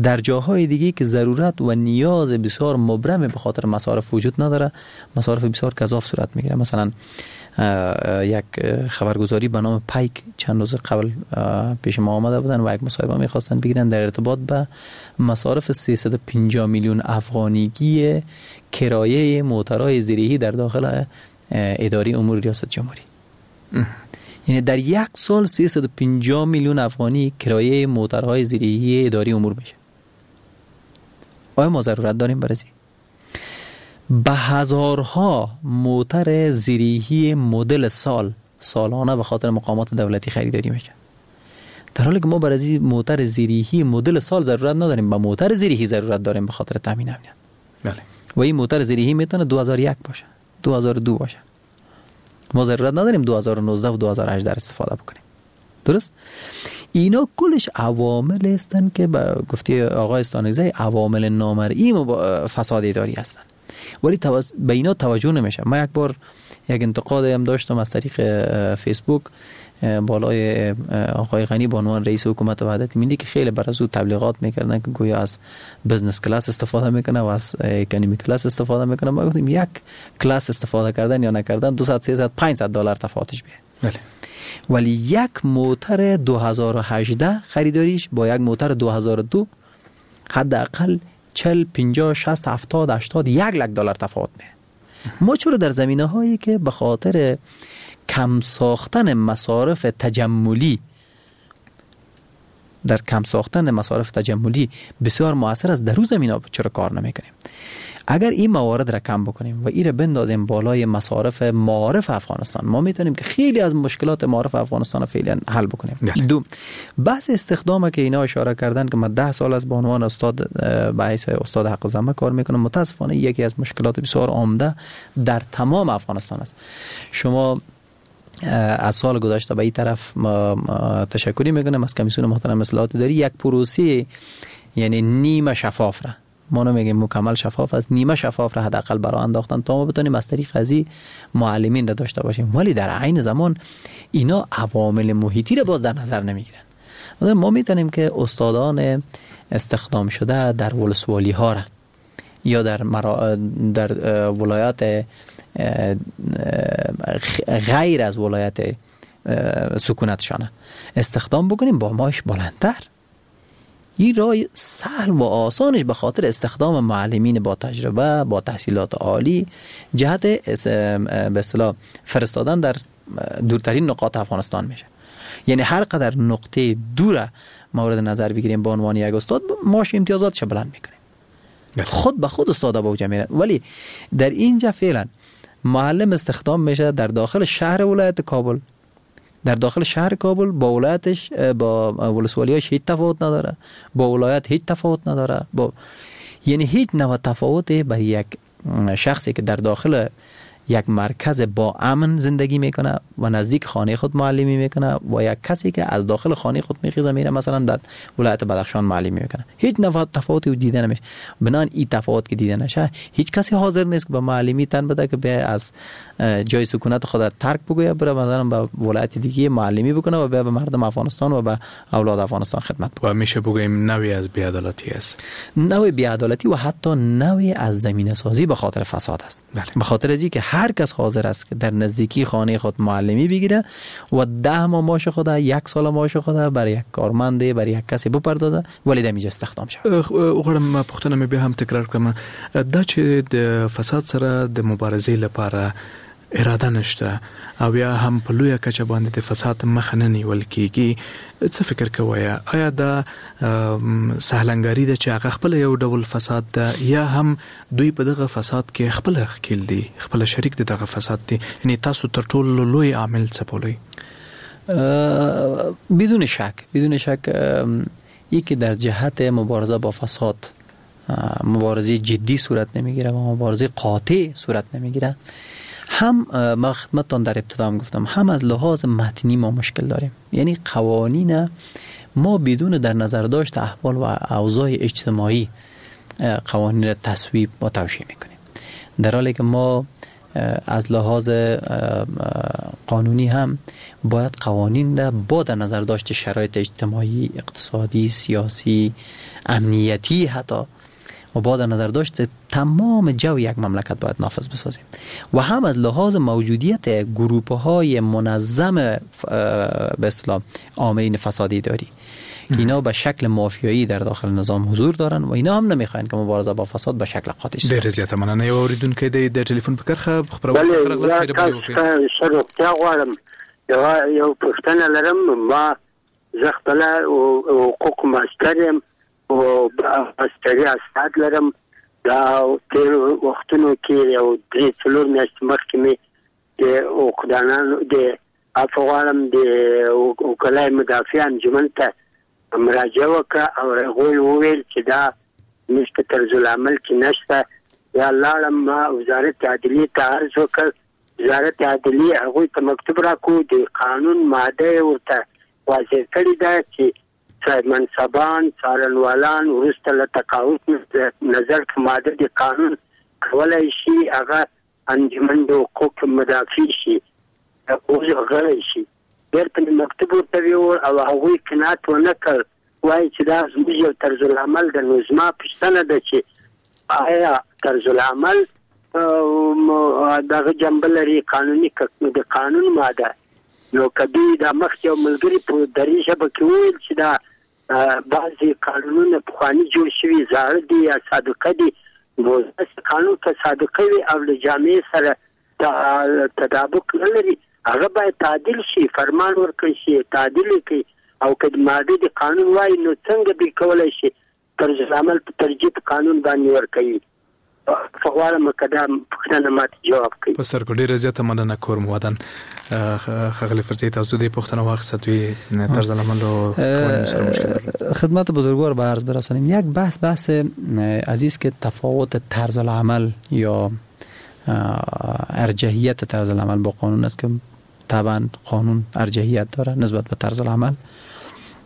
در جاهای دیگه که ضرورت و نیاز بسیار مبرم به خاطر مصارف وجود نداره، مصارف بسیار گزاف صورت میگیره. مثلا یک خبرگزاری به نام پیک چند روز قبل پیش ما آمده بودن و یک مصاحبه میخواستن بگیرن در ارتباط به مصارف سیصد و پنجاه میلیون افغانیگی کرایه موترهای زیرهی در داخل اداره امور ریاست جمهوری. یعنی در یک سال سیصد و پنجاه میلیون افغانی کرایه موترهای زیرهی اداره امور میشه. آیا ما ضرورت داریم برای به هزارها موتر زیرهی مدل سال سالانه به خاطر مقامات دولتی خریداری میشه، در حالی که ما برای موتر زیرهی مدل سال ضرورت نداریم، به موتر زیرهی ضرورت داریم به خاطر تامین امنیت. بله. و این موتر زیرهی میتونه دو هزار و یک باشه، دو هزار و دو باشه. ما ضرورت نداریم دو هزار و نوزده و دو هزار و هجده استفاده بکنیم. درست؟ اینا کلش عوامل هستن که به گفته آقای استانکزی عوامل نامرئی فساد اداری هستن، ولی توز... به اینا توجه نمیشه. من یک بار یک انتقاد هم داشتم از طریق فیسبوک بالای آقای غنی به عنوان رئیس حکومت وحدت ملی که خیلی بر از او تبلیغات میکردن که گویا از business class استفاده میکنه و از economy class استفاده میکنه. ما گفتیم یک کلاس استفاده کردن یا نکردن دویست سیصد پانصد دلار تفاوتش بیه. بله. ولی یک موتر دو هزار و هجده خریداریش با یک موتر دو هزار و دو حداقل چهل پنجاه شصت هفتاد هشتاد یک لک دلار تفاوت میه. ما چرا در زمینه هایی که به خاطر کم ساختن مصارف تجملی در کم ساختن مصارف تجملی بسیار موثر است، در روز زمینه چرا کار نمیکنیم؟ اگر این موارد را کم بکنیم و این را بندازیم بالای مصارف معارف افغانستان، ما میتونیم که خیلی از مشکلات معارف افغانستان را فعلا حل بکنیم. دو، بحث استخدام که اینا اشاره کردن که من ده سال از به عنوان استاد به حیث استاد حق الزحمه کار میکنم، متاسفانه یکی از مشکلات بسیار عمده در تمام افغانستان است. شما از سال گذشته به این طرف ما تشکری میکنم از کمیسیون محترم اصلاحات اداری، یک پروسه یعنی نیمه شفاف را، ما نمیگیم مکمل شفاف است، نیمه شفاف را حداقل برای انداختن تا ما بتونیم از طریق ازی معلمین را داشته باشیم. ولی در عین زمان اینا عوامل محیطی را باز در نظر نمیگیرن. ما میتونیم که استادان استخدام شده در ولسوالی ها را یا در مرا... در ولایات غیر از ولایت سکونتشانه استخدام بکنیم با ماش بلندتر. این راه سهل و آسانش به خاطر استخدام معلمین با تجربه، با تحصیلات عالی، جهت به اصطلاح فرستادن در دورترین نقاط افغانستان میشه. یعنی هر قدر نقطه دور مورد نظر بگیریم به عنوان یک استاد، ماش امتیازاتش بلند میکنیم، خود به خود استاد با اوج میرن. ولی در اینجا فعلا معلم استخدام میشه در داخل شهر ولایت کابل، در داخل شهر کابل با ولایتش، با ولسوالیاش هیچ تفاوت نداره، با ولایت هیچ تفاوت نداره، با یعنی هیچ نوع تفاوتی برای یک شخصی که در داخل یک مرکز با امن زندگی میکنه و نزدیک خانه خود معلمی میکنه و یک کسی که از داخل خانه خود میخیزه میره مثلا در ولایت بدخشان معلمی میکنه، هیچ نوع تفاوتی دیده نمیشه. بنان این تفاوت که دیده نشه، هیچ کسی حاضر نیست که به معلمی تن بده که به از جای سکونت خود ترک بگوید بره مثلا به ولایت دیگه معلمی بکنه و به مردم افغانستان و به اولاد افغانستان خدمت بکنه. و میشه بگوییم نوعی از بی‌عدالتی است، نوع بی‌عدالتی و حتی نوعی از زمینه سازی به خاطر فساد است. بله. به خاطر از اینکه هر کس حاضر است که در نزدیکی خانه خود معلمی بگیره و ده ماه معاش خود، یک سال معاش خود برای یک کارمند، برای یک کسی بپردازه، ولی د میجه استخدام شود. غواړم پوښتنه مې بیا هم تکرار کړم، دا چې د فساد سره د مبارزې لپاره اراده نشته او یا هم په لویه کچه باندې د فساد مخه نه نیول کیږي، څه فکر کوئ؟ آیا دا سهلنګاري ده چې هغه خپل یو ډول فساد ده، یا هم دوی په دغه فساد کې خپل ښکیل دي، خپل شریک دي دغه فساد دي؟ یعنی تاسو تر ټولو لوی عامل څه بولئ؟ بدون شک، بدون شک یکی در جهت مبارزه با فساد مبارزه جدی صورت نمیگیره و مبارزه قاطع صورت نمیگیره. هم ما خدمتتان در ابتدا هم گفتم، هم از لحاظ متنی ما مشکل داریم. یعنی قوانین ما بدون در نظر داشت احوال و اوضاع اجتماعی قوانین را تصویب و توشیح میکنیم، در حالی که ما از لحاظ قانونی هم باید قوانین را با در نظر داشت شرایط اجتماعی، اقتصادی، سیاسی، امنیتی حتی و با در نظر داشت تمام جو یک مملکت باید نافذ بسازیم و هم از لحاظ موجودیت گروپ های منظم به اصطلاح عاملین فسادی داری که اینا به شکل مافیایی در داخل نظام حضور دارن و اینا هم نمیخواین که مبارزه با فساد به شکل قاطع شه. ډېر زیاته مننه. یو اوریدونکی دی د ټلیفون په کرښه خپرونه ښه راغلاست، مهرباني وکړئ. ښه روغتیا غواړم. یو یو پوښتنه لرم. ما زه خپله حقوق ماستر یم او ماستري اسناد لرم. دا تېرو وختونو کې یو درې څلور میاشتې مخکې مې د حقوقدانانو د عفو غواړم د وکلای مدافع انجمن ته مراجعه وکړه او هغوی وویل چې دا موږ په طرزالعمل کې نشته. یا لاړم ما وزارت عدلیې ته عرض وکړ، وزارت عدلیې هغوی ته مکتوب راکړو، د قانون ماده یې ورته واضح کړې ده چې صاحب منصبان، څارنوالان وروسته له تقاعد نظر په ماده د قانون کولی شي هغه انجمن د حقوق مدافع شي، اوس غړی شي. بېرته مې مکتوب ورته ویوړ او هغوی قناعت ونه کړ، وایي چې دا زموږ یو طرزالعمل ده. نو زما پوښتنه ده چې آیا طرزالعمل دغه جنبه لري قانوني د قانون ماده؟ نو که دوی دا مخکې یو ملګري په دري ژبه کې وویل چې دا بعضې قانونونه پخواني جوړ شوي، زاړه دي یا سابقه دي، نو داسې قانون که سابقه وي او له جامعې سره تطابق نه لري هغه باید تعدیل شي، فرمان ورکړل شي، تعدیل یې کړي. او که ماده د قانون وایي نو څنګه دوی کولی شي طرزالعمل په ترجیح قانون باندې ورکوي؟ غواړم که دا پوښتنه ماته جواب کړي. په سترګو. ډېره زیاته مننه. کور مو ودان. ښاغلی فرزي، تاسو د دې پوښتنه واخیسته، دوی طرزالعمل او قوانینو سره مشکل لري. خدمت بزرگوار به عرض برسانیم. یک بحث بحث عزیز که تفاوت طرزالعمل یا ارجحیت طرزالعمل با قانون است که طبعا قانون ارجحیت داره نسبت به طرزالعمل،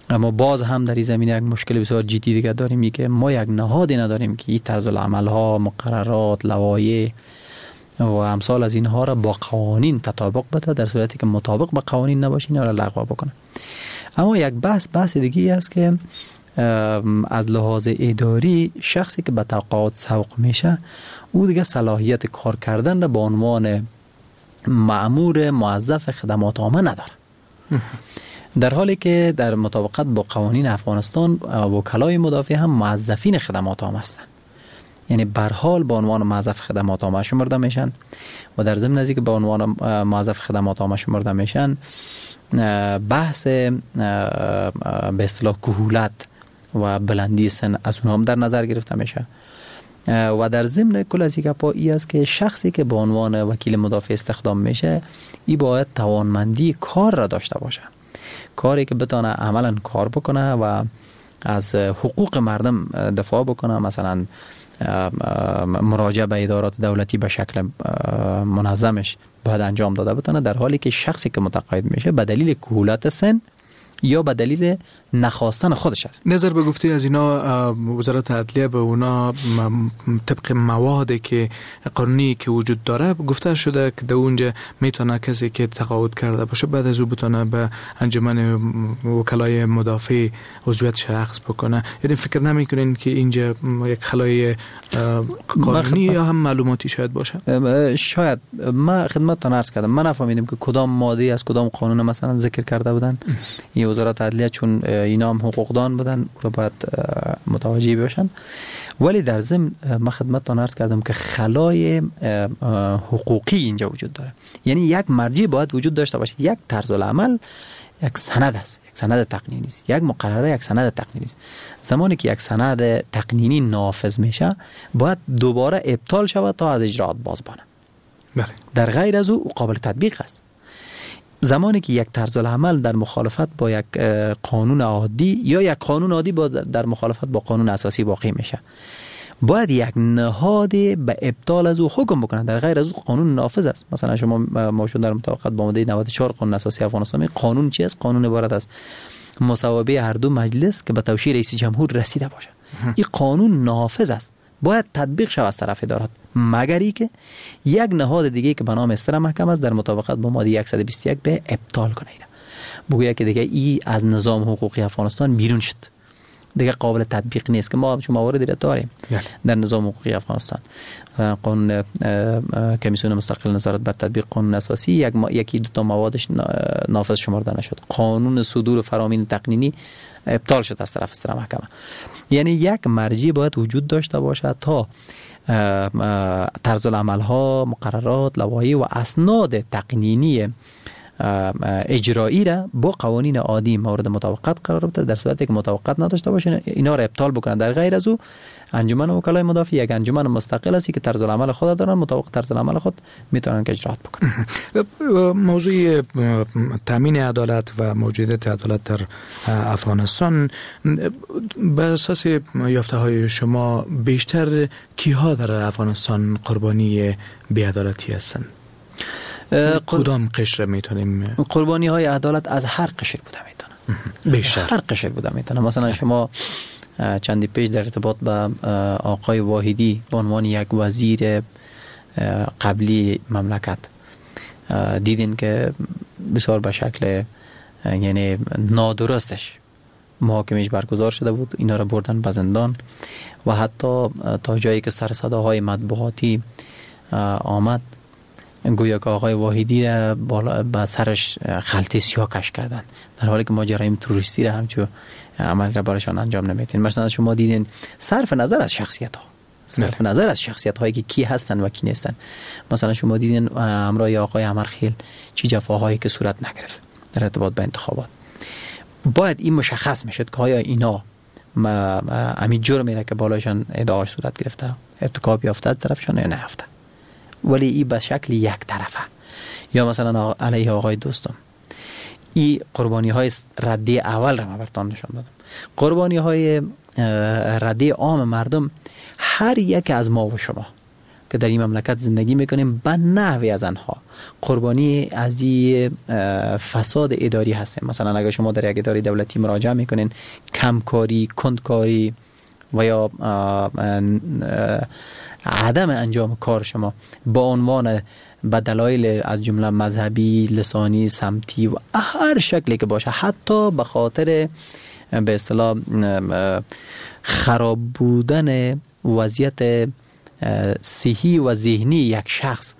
اما باز هم در این زمینه یک مشکل بسیار جدی دیگه داریم که ما یک نهادی نداریم که این طرزالعمل ها، مقررات، لوایح و امثال از اینها را با قوانین تطابق بده. در صورتی که مطابق با قوانین نباشه اینا را لغو بکنه. اما یک بحث بحث دیگه است که از لحاظ اداری شخصی که به تقاعد سوق میشه او دیگه صلاحیت کار کردن را به عنوان مأمور موظف خدمات عامه نداره، در حالی که در مطابقت با قوانین افغانستان وکلای مدافع هم موظفین خدمات عامه هستند، یعنی به حال به عنوان موظف خدمات عامه شمرده میشن و در ضمن از اینکه به عنوان موظف خدمات عامه شمرده میشن بحث به اصطلاح کهولت و بلندی سن از اونها هم در نظر گرفته میشه. و در ضمن کل از این گپا ای است که شخصی که به عنوان وکیل مدافع استخدام میشه ای باید توانمندی کار را داشته باشه، کاری که بتانه عملا کار بکنه و از حقوق مردم دفاع بکنه، مثلا مراجعه به ادارات دولتی به شکل منظمش باید انجام داده بتانه، در حالی که شخصی که متقاعد میشه به دلیل کهولت سن یا به دلیل نخواستن خودش است. نظر به گفته از اینا وزارت عدلیه به اونا طبق موادی که قانونی که وجود داره گفته شده که در اونجا میتونه کسی که تقاعد کرده باشه بعد از او بتونه به انجمن وکلای مدافع عضویتش اخذ بکنه. یعنی فکر نمیکنین که اینجا یک خلای قانونی یا هم معلوماتی شاید باشه؟ شاید. ما خدمتتان عرض کردم من نفهمیدم که کدام ماده از کدام قانون مثلا ذکر کرده بودن. این وزارت عدلیه چون اینا هم حقوقدان بودن رو باید متوجه باشن، ولی در ضمن ما خدمتتان عرض کردم که خلای حقوقی اینجا وجود داره، یعنی یک مرجع باید وجود داشته باشه. یک طرز العمل یک سند است، یک سند تقنینی است، یک مقرره یک سند تقنینی است. زمانی که یک سند تقنینی نافذ میشه باید دوباره ابطال شود تا از اجرات باز بانه. بله. در غیر از او قابل تطبیق است. زمانی که یک طرز العمل در مخالفت با یک قانون عادی یا یک قانون عادی با در مخالفت با قانون اساسی واقع میشه، باید یک نهاد به ابطال از او حکم بکنه، در غیر از او قانون نافذ است. مثلا شما ما در مطابقت با ماده نود و چهار قانون اساسی افغانستان، قانون چی است؟ قانون عبارت است مصوبه هر دو مجلس که به توشیح رئیس جمهور رسیده باشه. این قانون نافذ است، باید تطبیق شود از طرف ادارات، مگر ای که یک نهاد دیگه که به نام استر محکمه است در مطابقت با ماده صد و بیست و یک به ابطال کنه، اینا بگوید که دیگه ای از نظام حقوقی افغانستان بیرون شد، دیگه قابل تطبیق نیست، که ما چون مواردی را داریم در نظام حقوقی افغانستان. مثلا قانون کمیسیون مستقل نظارت بر تطبیق قانون اساسی یک ما... یکی دو تا موادش نافذ شمرده نشد، قانون صدور فرامین تقنینی ابطال شد از طرف استر محکمه. یعنی یک مرجع باید وجود داشته باشد تا طرز العمل ها، مقررات، لوایح و اسناد تقنینی اجرایی را با قوانین عادی مورد مطابقت قرار بده. در صورتی که مطابقت نداشته باشه اینا را ابطال بکنن. در غیر از او انجمن وکلای مدافع یک انجمن مستقل است که طرز العمل خود دارن، مطابق طرز العمل خود میتونن که اجرات بکنن. موضوع تامین عدالت و موجودیت عدالت در افغانستان به اساس یافته های شما بیشتر کیها در افغانستان قربانی بی‌عدالتی هستند؟ کدام قشر میتونیم؟ قربانی های عدالت از هر قشر بوده میتونه، بیشتر هر قشر بوده میتونه. مثلا شما چندی پیش در ارتباط با آقای واحدی به عنوان یک وزیر قبلی مملکت دیدین که بسیار به شکل یعنی نادرستش محاکمش برگزار شده بود، اینا را بردن به زندان و حتی تا جایی که سر صداهای مطبوعاتی آمد گویا که آقای واحدی را بالا به سرش خلطه سیاه کش کردن، در حالی که ما جرایم تروریستی را همچو عمل را برایشان انجام نمیدیم. مثلا شما دیدین صرف نظر از شخصیت ها، صرف نظر از شخصیت هایی که کی هستن و کی نیستن، مثلا شما دیدین همراه آقای امرخیل چی جفاهایی که صورت نگرفت در ارتباط به انتخابات. باید این مشخص میشد که آیا اینا همین جرمی را که بالایشان ادعاش صورت گرفته ارتکاب یافته از طرفشان یا نیافته، ولی این به شکل یک طرفه. یا مثلا علیه آقای دوستم، این قربانی های رده اول را من براتون نشان دادم. قربانی های رده عام مردم، هر یک از ما و شما که در این مملکت زندگی میکنیم به نحوی از آنها قربانی از این فساد اداری هستیم. مثلا اگر شما در یک اداره دولتی مراجعه میکنین، کمکاری، کندکاری و یا عدم انجام کار شما با عنوان به دلایل از جمله مذهبی، لسانی، سمتی و هر شکلی که باشه، حتی به خاطر به اصطلاح خراب بودن وضعیت صحی و ذهنی یک شخص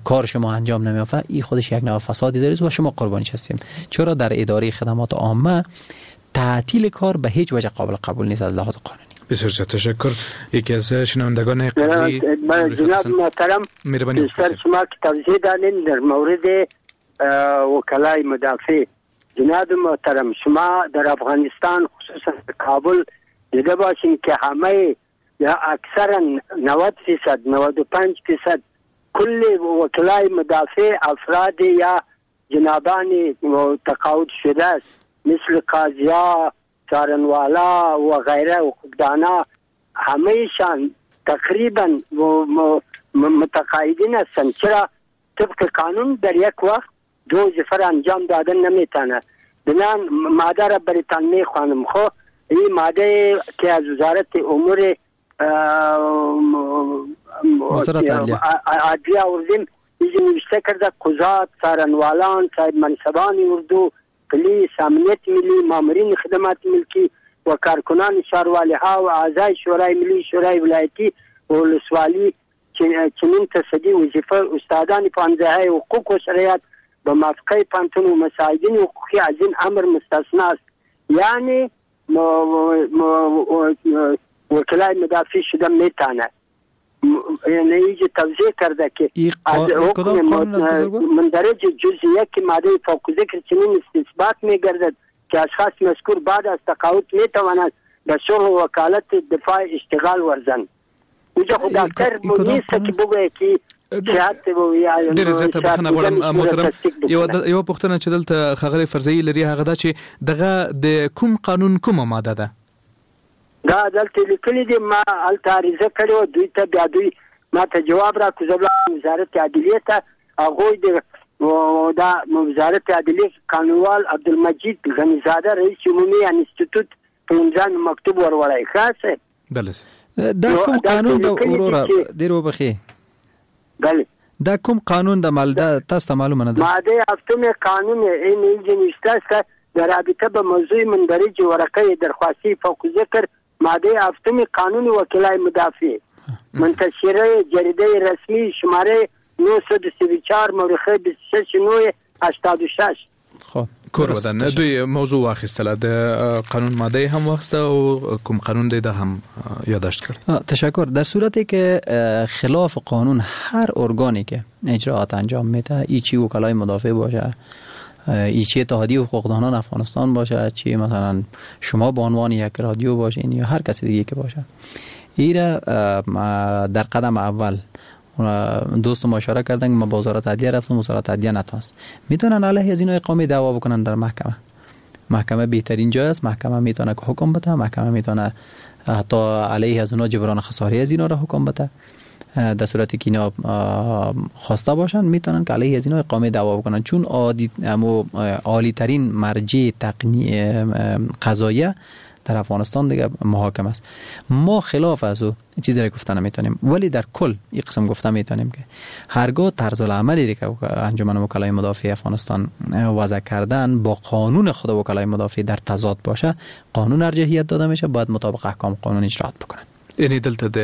کار شما انجام نمیافه، این خودش یک نوع فسادی داره و شما قربانی هستیم. چرا در اداره خدمات عامه تعطیل کار به هیچ وجه قابل قبول نیست از لحاظ قانونی. بسیار تشکر. یکی از شنوندگان قبلی جناب محترم، بیشتر شما که توضیح دادین در مورد وکلای مدافع، جناب محترم شما در افغانستان خصوصا کابل دیده باشین که همه یا اکثرا نود فیصد نود و پنج فیصد کل وکلای مدافع افراد یا جنابان تقاعد شده است، مثل قاضیا، چارنوالا و غیره و حقوقدانا، همهشان تقریبا متقاعدین هستند. چرا طبق قانون در یک وقت دو وظیفه انجام دادن نمیتونه. بنان ماده را برایتان میخوانم. خو این ماده که از وزارت امور عدلیه آوردیم، اینجا نوشته کرده قضات، څارنوالان، صاحب منصبان اردو، پلیس، امنیت ملی، مامورین خدمات ملکی و کارکنان شاروالی ها و اعضای شورای ملی، شورای ولایتی و ولسوالی چنین تصدی وظیفه استادان پانزه حقوق و شرعیات به موافقه پانتون و مساعدین حقوقی از این امر مستثنا است. یعنی وکلای مدافع شده میتونه. یعنی اینجا توضیح کرده که از حکم مندرج جزء یک ماده فوق ذکر چنین استثبات میگردد که اشخاص مذکور بعد از تقاعد میتوانند به شغل وکالت دفاع اشتغال ورزند. اونجا خو دکتر نیست که بگویه که ډېر زیاته بخښنه غواړم محترم. یو یو پوښتنه چې دلته ښاغلی فرزهيي لري هغه دا چې دغه د کوم قانون کومه ماده ده؟ دا دلته لیکلي دي، ما هلته عریضه کړې وه دوی ته، بیا دوی ما ته جواب راکړ. زه ولاړم وزارت عدلیې ته، هغوی د دا وزارت عدلیې قانونوال عبدالمجید غنيزاده رئیس عمومي انستیتوت په امضا مکتوب وروړی. ښه صاحب بله. دا کوم قانون د وروره ډیر وبخي؟ بله، دا کوم قانون د مال دا تاسو ته معلومه نه ده؟ ماده هفتم قانون این اینجا نوشته است در رابطه به موضوع مندرج ورقه درخواستی فوق ذکر ماده هفتم قانون وکلای مدافع منتشره جریده رسمی شماره نهصد و سی و چهار مورخه بیست و شش نه هشتاد و شش. خب کور ودان دوی موضوع واخیستله، د قانون ماده هم واخیسته او کوم قانون دی دا هم یادداشت کړ. تشکر. در صورتی که خلاف قانون هر ارگانی که اجراعات انجام میده، ای چی وکلای مدافع باشه، ای چی اتحادیه حقوقدانان افغانستان باشه، چی مثلا شما به عنوان یک رادیو باشین یا هر کسی دیگه که باشه، ایره در قدم اول دوست ما اشاره کردن که ما با وزارت عدلیه رفتم، وزارت عدلیه نتونست، میتونن علیه از اینا اقامه دعوا بکنن در محکمه. محکمه بهترین جای است، محکمه میتونه که حکم بده، محکمه میتونه حتی علیه از اونا جبران خساری از اینا را حکم بده. در صورتی که اینا خواسته باشن میتونن که علیه از اینا اقامه دعوا بکنن، چون عادی عالی ترین مرجع تقنی قضاییه در افغانستان دیگه محاکمه است. ما خلاف از او چیزی را گفته نمیتونیم، ولی در کل این قسم گفته میتونیم که هرگاه طرز العملی که انجمن وکلای مدافع افغانستان وضع کردن با قانون خود وکلای مدافع در تضاد باشه، قانون ارجحیت داده میشه، باید مطابق احکام قانون اجرات بکنن. یعنی دلته د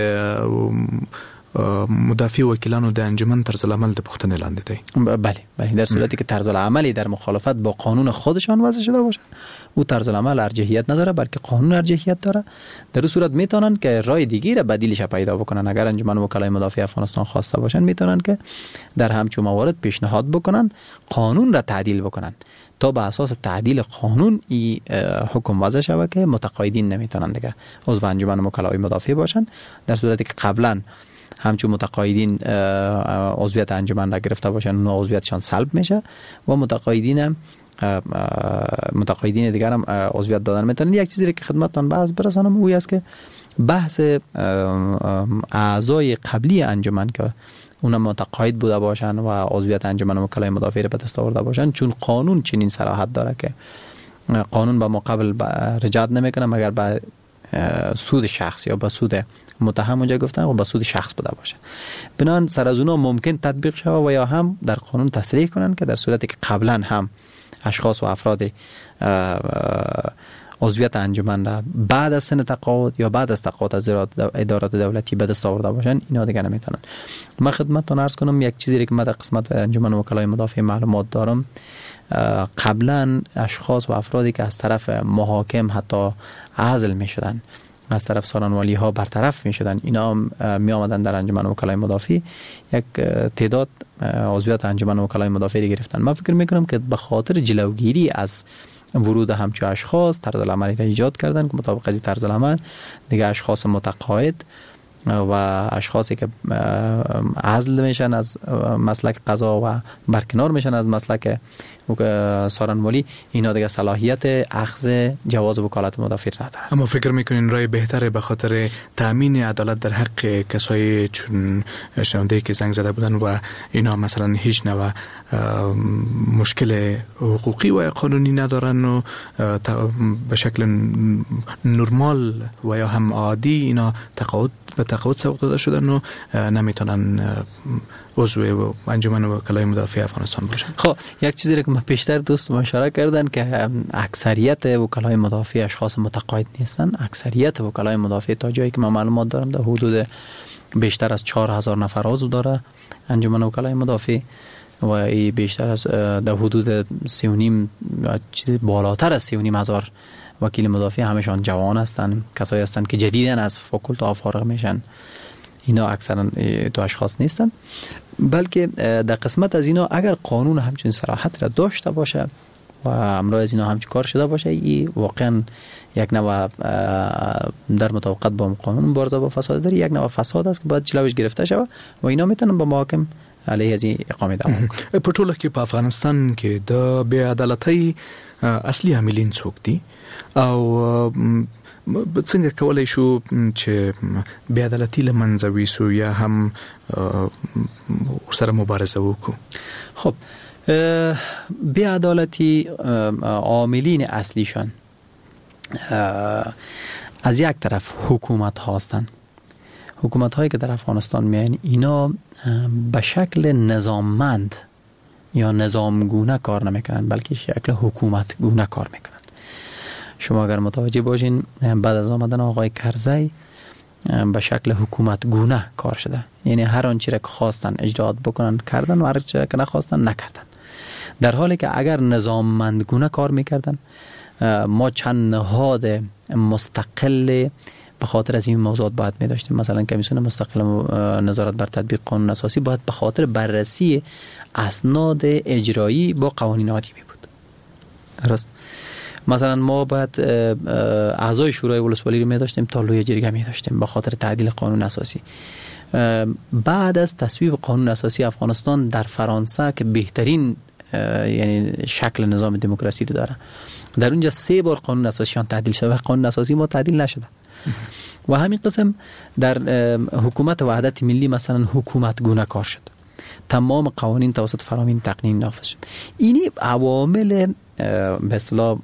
مدافع وکیلانو د انجمن طرز العمل د پوښتنې لاندې دی. بله بله، در صورتی که طرز العملی در مخالفت با قانون خودشان وضع شده باشه، او طرز العمل ارجحیت نداره، بلکه قانون ارجحیت داره. در اون صورت میتونن که راه دیگه را بدیلش پیدا بکنن. اگر انجمن وکلای مدافع افغانستان خواسته باشن، میتونن که در همچون موارد پیشنهاد بکنن قانون را تعدیل بکنن تا به اساس تعدیل قانون ای حکم وضع شود که متقاعدین نمیتونن دیگه عضو انجمن وکلای مدافع باشن، در صورتی که قبلا همچون متقاعدین عضویت انجمن را گرفته باشن، اون عضویتشان سلب میشه و متقاعدین هم متقاعدین دیگر هم عضویت دادن میتونن. یک چیزی که خدمتتان باز برسانم اوی است که بحث اعضای قبلی انجمن که اونا متقاعد بوده باشن و عضویت انجمن وکلای مدافع را به دست آورده باشن، چون قانون چنین صراحت داره که قانون به مقابل رجعت نمیکنه مگر به سود شخص یا به سود متهم اونجا گفتن و به سود شخص بوده باشه. بنان سر از اونا ممکن تطبیق شود و یا هم در قانون تصریح کنن که در صورتی که قبلا هم اشخاص و افراد عضویت انجمن را بعد از سن تقاعد یا بعد از تقاعد از ادارات دولتی به دست آورده باشن، اینا دیگه نمیتونن. من خدمتتون عرض کنم یک چیزی که من در قسمت انجمن وکلای مدافع معلومات دارم، قبلا اشخاص و افرادی که از طرف محاکم حتی عزل میشدن، از طرف سالانوالی ها برطرف می شدن، اینا می آمدن در انجمن وکلای مدافع، یک تعداد عضویت انجمن وکلای مدافع گرفتن. من فکر میکنم که به خاطر جلوگیری از ورود همچو اشخاص طرز العملی را ایجاد کردن که مطابق از طرز العمل دیگه اشخاص متقاعد و اشخاصی که عزل میشن از مسلک قضا و برکنار میشن از مسلک سارنوالی، اینا دیگه صلاحیت اخذ جواز وکالت مدافع ندارن. اما فکر میکنین رای بهتره به خاطر تامین عدالت در حق کسایی چون شنونده که زنگ زده بودن و اینا مثلا هیچ نوع مشکل حقوقی و قانونی ندارن و به شکل نرمال و یا هم عادی اینا تقاعد به تقاعد سوق داده شدن و نمیتونن عضو انجمن وکلای مدافع افغانستان باشن؟ خب یک چیزی که من پیشتر دوست ما اشاره کردن که اکثریت وکلای مدافع اشخاص متقاعد نیستن. اکثریت وکلای مدافع تا جایی که من معلومات دارم در حدود بیشتر از چهار هزار نفر عضو داره انجمن وکلای مدافع و ای بیشتر از در حدود سه و نیم چیز بالاتر از سه و نیم هزار وکیل مدافع همشان جوان هستن، کسایی هستن که جدیدن از فاکولته فارغ میشن. اینا اکثرا تو اشخاص نیستن، بلکه در قسمت از اینا اگر قانون همچین صراحت را داشته باشه و امرای از اینا همچین کار شده باشه، ای واقعا یک نوع در مطابقت با قانون مبارزه با فساد داره، یک نوع فساد است که باید جلوش گرفته شود و اینا میتونن با محاکم علیه از این اقامه دعوا کنن. په ټوله کې په افغانستان کې د بې عدالتۍ اصلي عاملین څوک دي او څنګه کولای شو چې بې عدالتي له منځه ویسو یا هم ورسره مبارزه وکړو؟ خب بې عدالتي عاملین اصلیشان از یک طرف حکومت هستند، حکومت هایی که در افغانستان میاین اینا به شکل نظاممند یا نظامگونه کار نمیکنن، بلکه شکل حکومت گونه کار میکنن. شما اگر متوجه باشین بعد از آمدن آقای کرزی به شکل حکومت گونه کار شده، یعنی هر آنچه را که خواستن اجرات بکنن کردن و هر چیزی را که نخواستن نکردن. در حالی که اگر نظاممند گونه کار میکردن، ما چند نهاد مستقل به خاطر از این موضوعات باید می داشتیم. مثلا کمیسیون مستقل نظارت بر تطبیق قانون اساسی باید به خاطر بررسی اسناد اجرایی با قوانین عادی می بود. درست. مثلا ما باید اعضای شورای ولسوالی رو می داشتیم تا لوی جرگه می داشتیم به خاطر تعدیل قانون اساسی. بعد از تصویب قانون اساسی افغانستان در فرانسه که بهترین یعنی شکل نظام دموکراسی رو داره، در اونجا سه بار قانون اساسیان تعدیل شده و قانون اساسی ما تعدیل نشده. و همین قسم در حکومت وحدت ملی مثلا حکومت گونه کار شد، تمام قوانین توسط فرامین تقنین نافذ شد. اینی عوامل به اصطلاح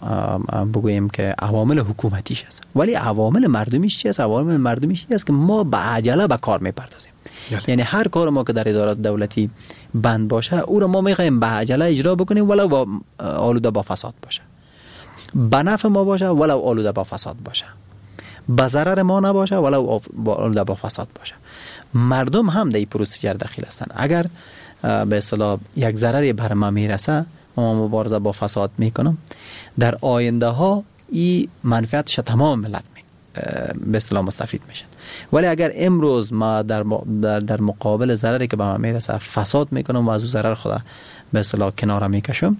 بگوییم که عوامل حکومتیش است، ولی عوامل مردمیش چی است؟ عوامل مردمیش است که ما به عجله به کار میپردازیم. یعنی هر کار ما که در ادارات دولتی بند باشه او را ما میخوایم به عجله اجرا بکنیم، ولو با آلوده با فساد باشه، به نفع ما باشه ولو آلوده با فساد باشه، به ضرر ما نباشه ولو آلوده با فساد باشه. مردم هم در این پروسیجر دخیل هستند. اگر به اصطلاح یک ضرری بر ما میرسه، ما مبارزه با فساد میکنم، در آینده ها این منفعتش تمام ملت می به اصطلاح مستفید میشن. ولی اگر امروز ما در در مقابل ضرری که به ما میرسه فساد میکنم و از او ضرر خود به اصطلاح کناره میکشم،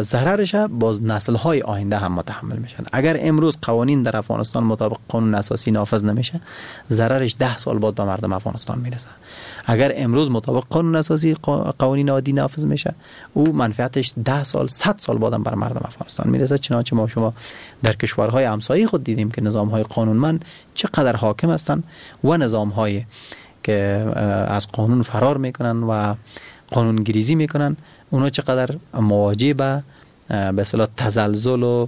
ضررش باز نسل های آینده هم متحمل میشن. اگر امروز قوانین در افغانستان مطابق قانون اساسی نافذ نمیشه، ضررش ده سال بعد به مردم افغانستان میرسه. اگر امروز مطابق قانون اساسی قوانین عادی نافذ میشه، او منفعتش ده سال صد سال بعدم بر مردم افغانستان میرسه. چنانچه ما شما در کشورهای همسایه خود دیدیم که نظام های قانونمند چقدر حاکم هستند و نظام های که از قانون فرار میکنن و قانونگریزی میکنن، اونا چقدر مواجه به به اصطلاح تزلزل و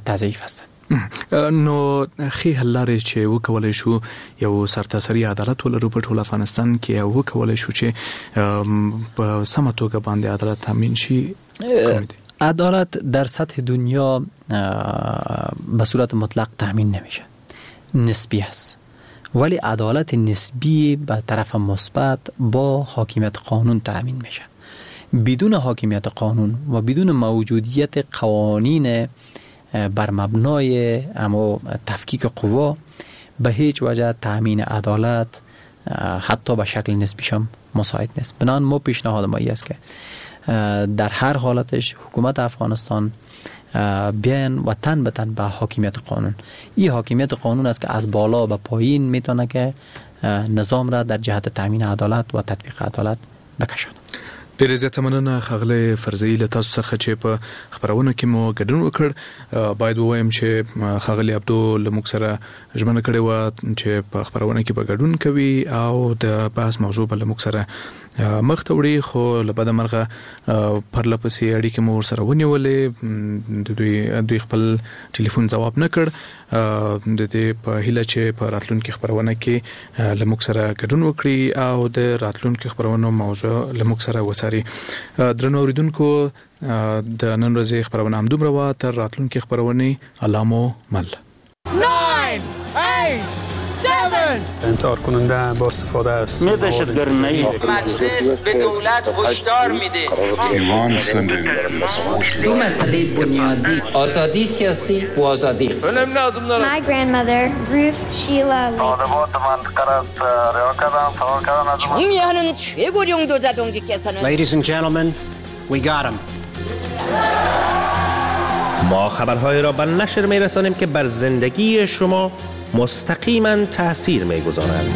تضعیف هستن. نو ښې حل لارې چې وکولای شو یو سرتاسري عدالت ولرو په ټول افغانستان کې، او وکولای شو چې په سمه توګه باندې عدالت تامین شي؟ عدالت در سطح دنیا به صورت مطلق تامین نمیشه، نسبی است. ولی عدالت نسبی به طرف مثبت با حاکمیت قانون تامین میشه. بدون حاکمیت قانون و بدون موجودیت قوانین بر مبنای اما تفکیک قوا، به هیچ وجه تامین عدالت حتی به شکل نسبیش هم مساعد نیست. بنابراین ما پیشنهاد ما این است که در هر حالتش حکومت افغانستان بیان و تن به تن به حاکمیت قانون. این حاکمیت قانون است که از بالا به پایین میتونه که نظام را در جهت تامین عدالت و تطبیق عدالت بکشاند. ډېره زیاته مننه ښاغلی فرزهيي له تاسو څخه چې په خپرونه کې مو ګډون وکړ. باید ووایم چې ښاغلی عبدو له موږ سره ژمنه کړې وه چې په خپرونه کې به ګډون کوي او د بحث موضوع به له موږ سره مخ ته وړي، خو له بده مرغه پرله پسې اړیکې مو ورسره ونیولې، د دوی دوی خپل ټلیفون ځواب نه کړ. د دې په هیله چې په راتلونکي خپرونه کې له موږ سره ګډون وکړي او د راتلونکي خپرونو موضوع له موږ سره وڅاري. درنو اوریدونکو، د نن ورځې خپرونه همدومره وه. تر راتلونکي خپرونې الله مو مل. نه، هشت، هفت انتحار کننده با استفاده از مجلس به دولت هشدار میده. دو مسئله بنیادی، آزادی سیاسی و آزادی اقتصادی. My grandmother, Ruth Sheila 경의하는 최고 용도자 동지께서는 Ladies and gentlemen, we got him. ما خبرهای را به نشر میرسانیم که بر زندگی شما مستقیما تاثیر میگذارند.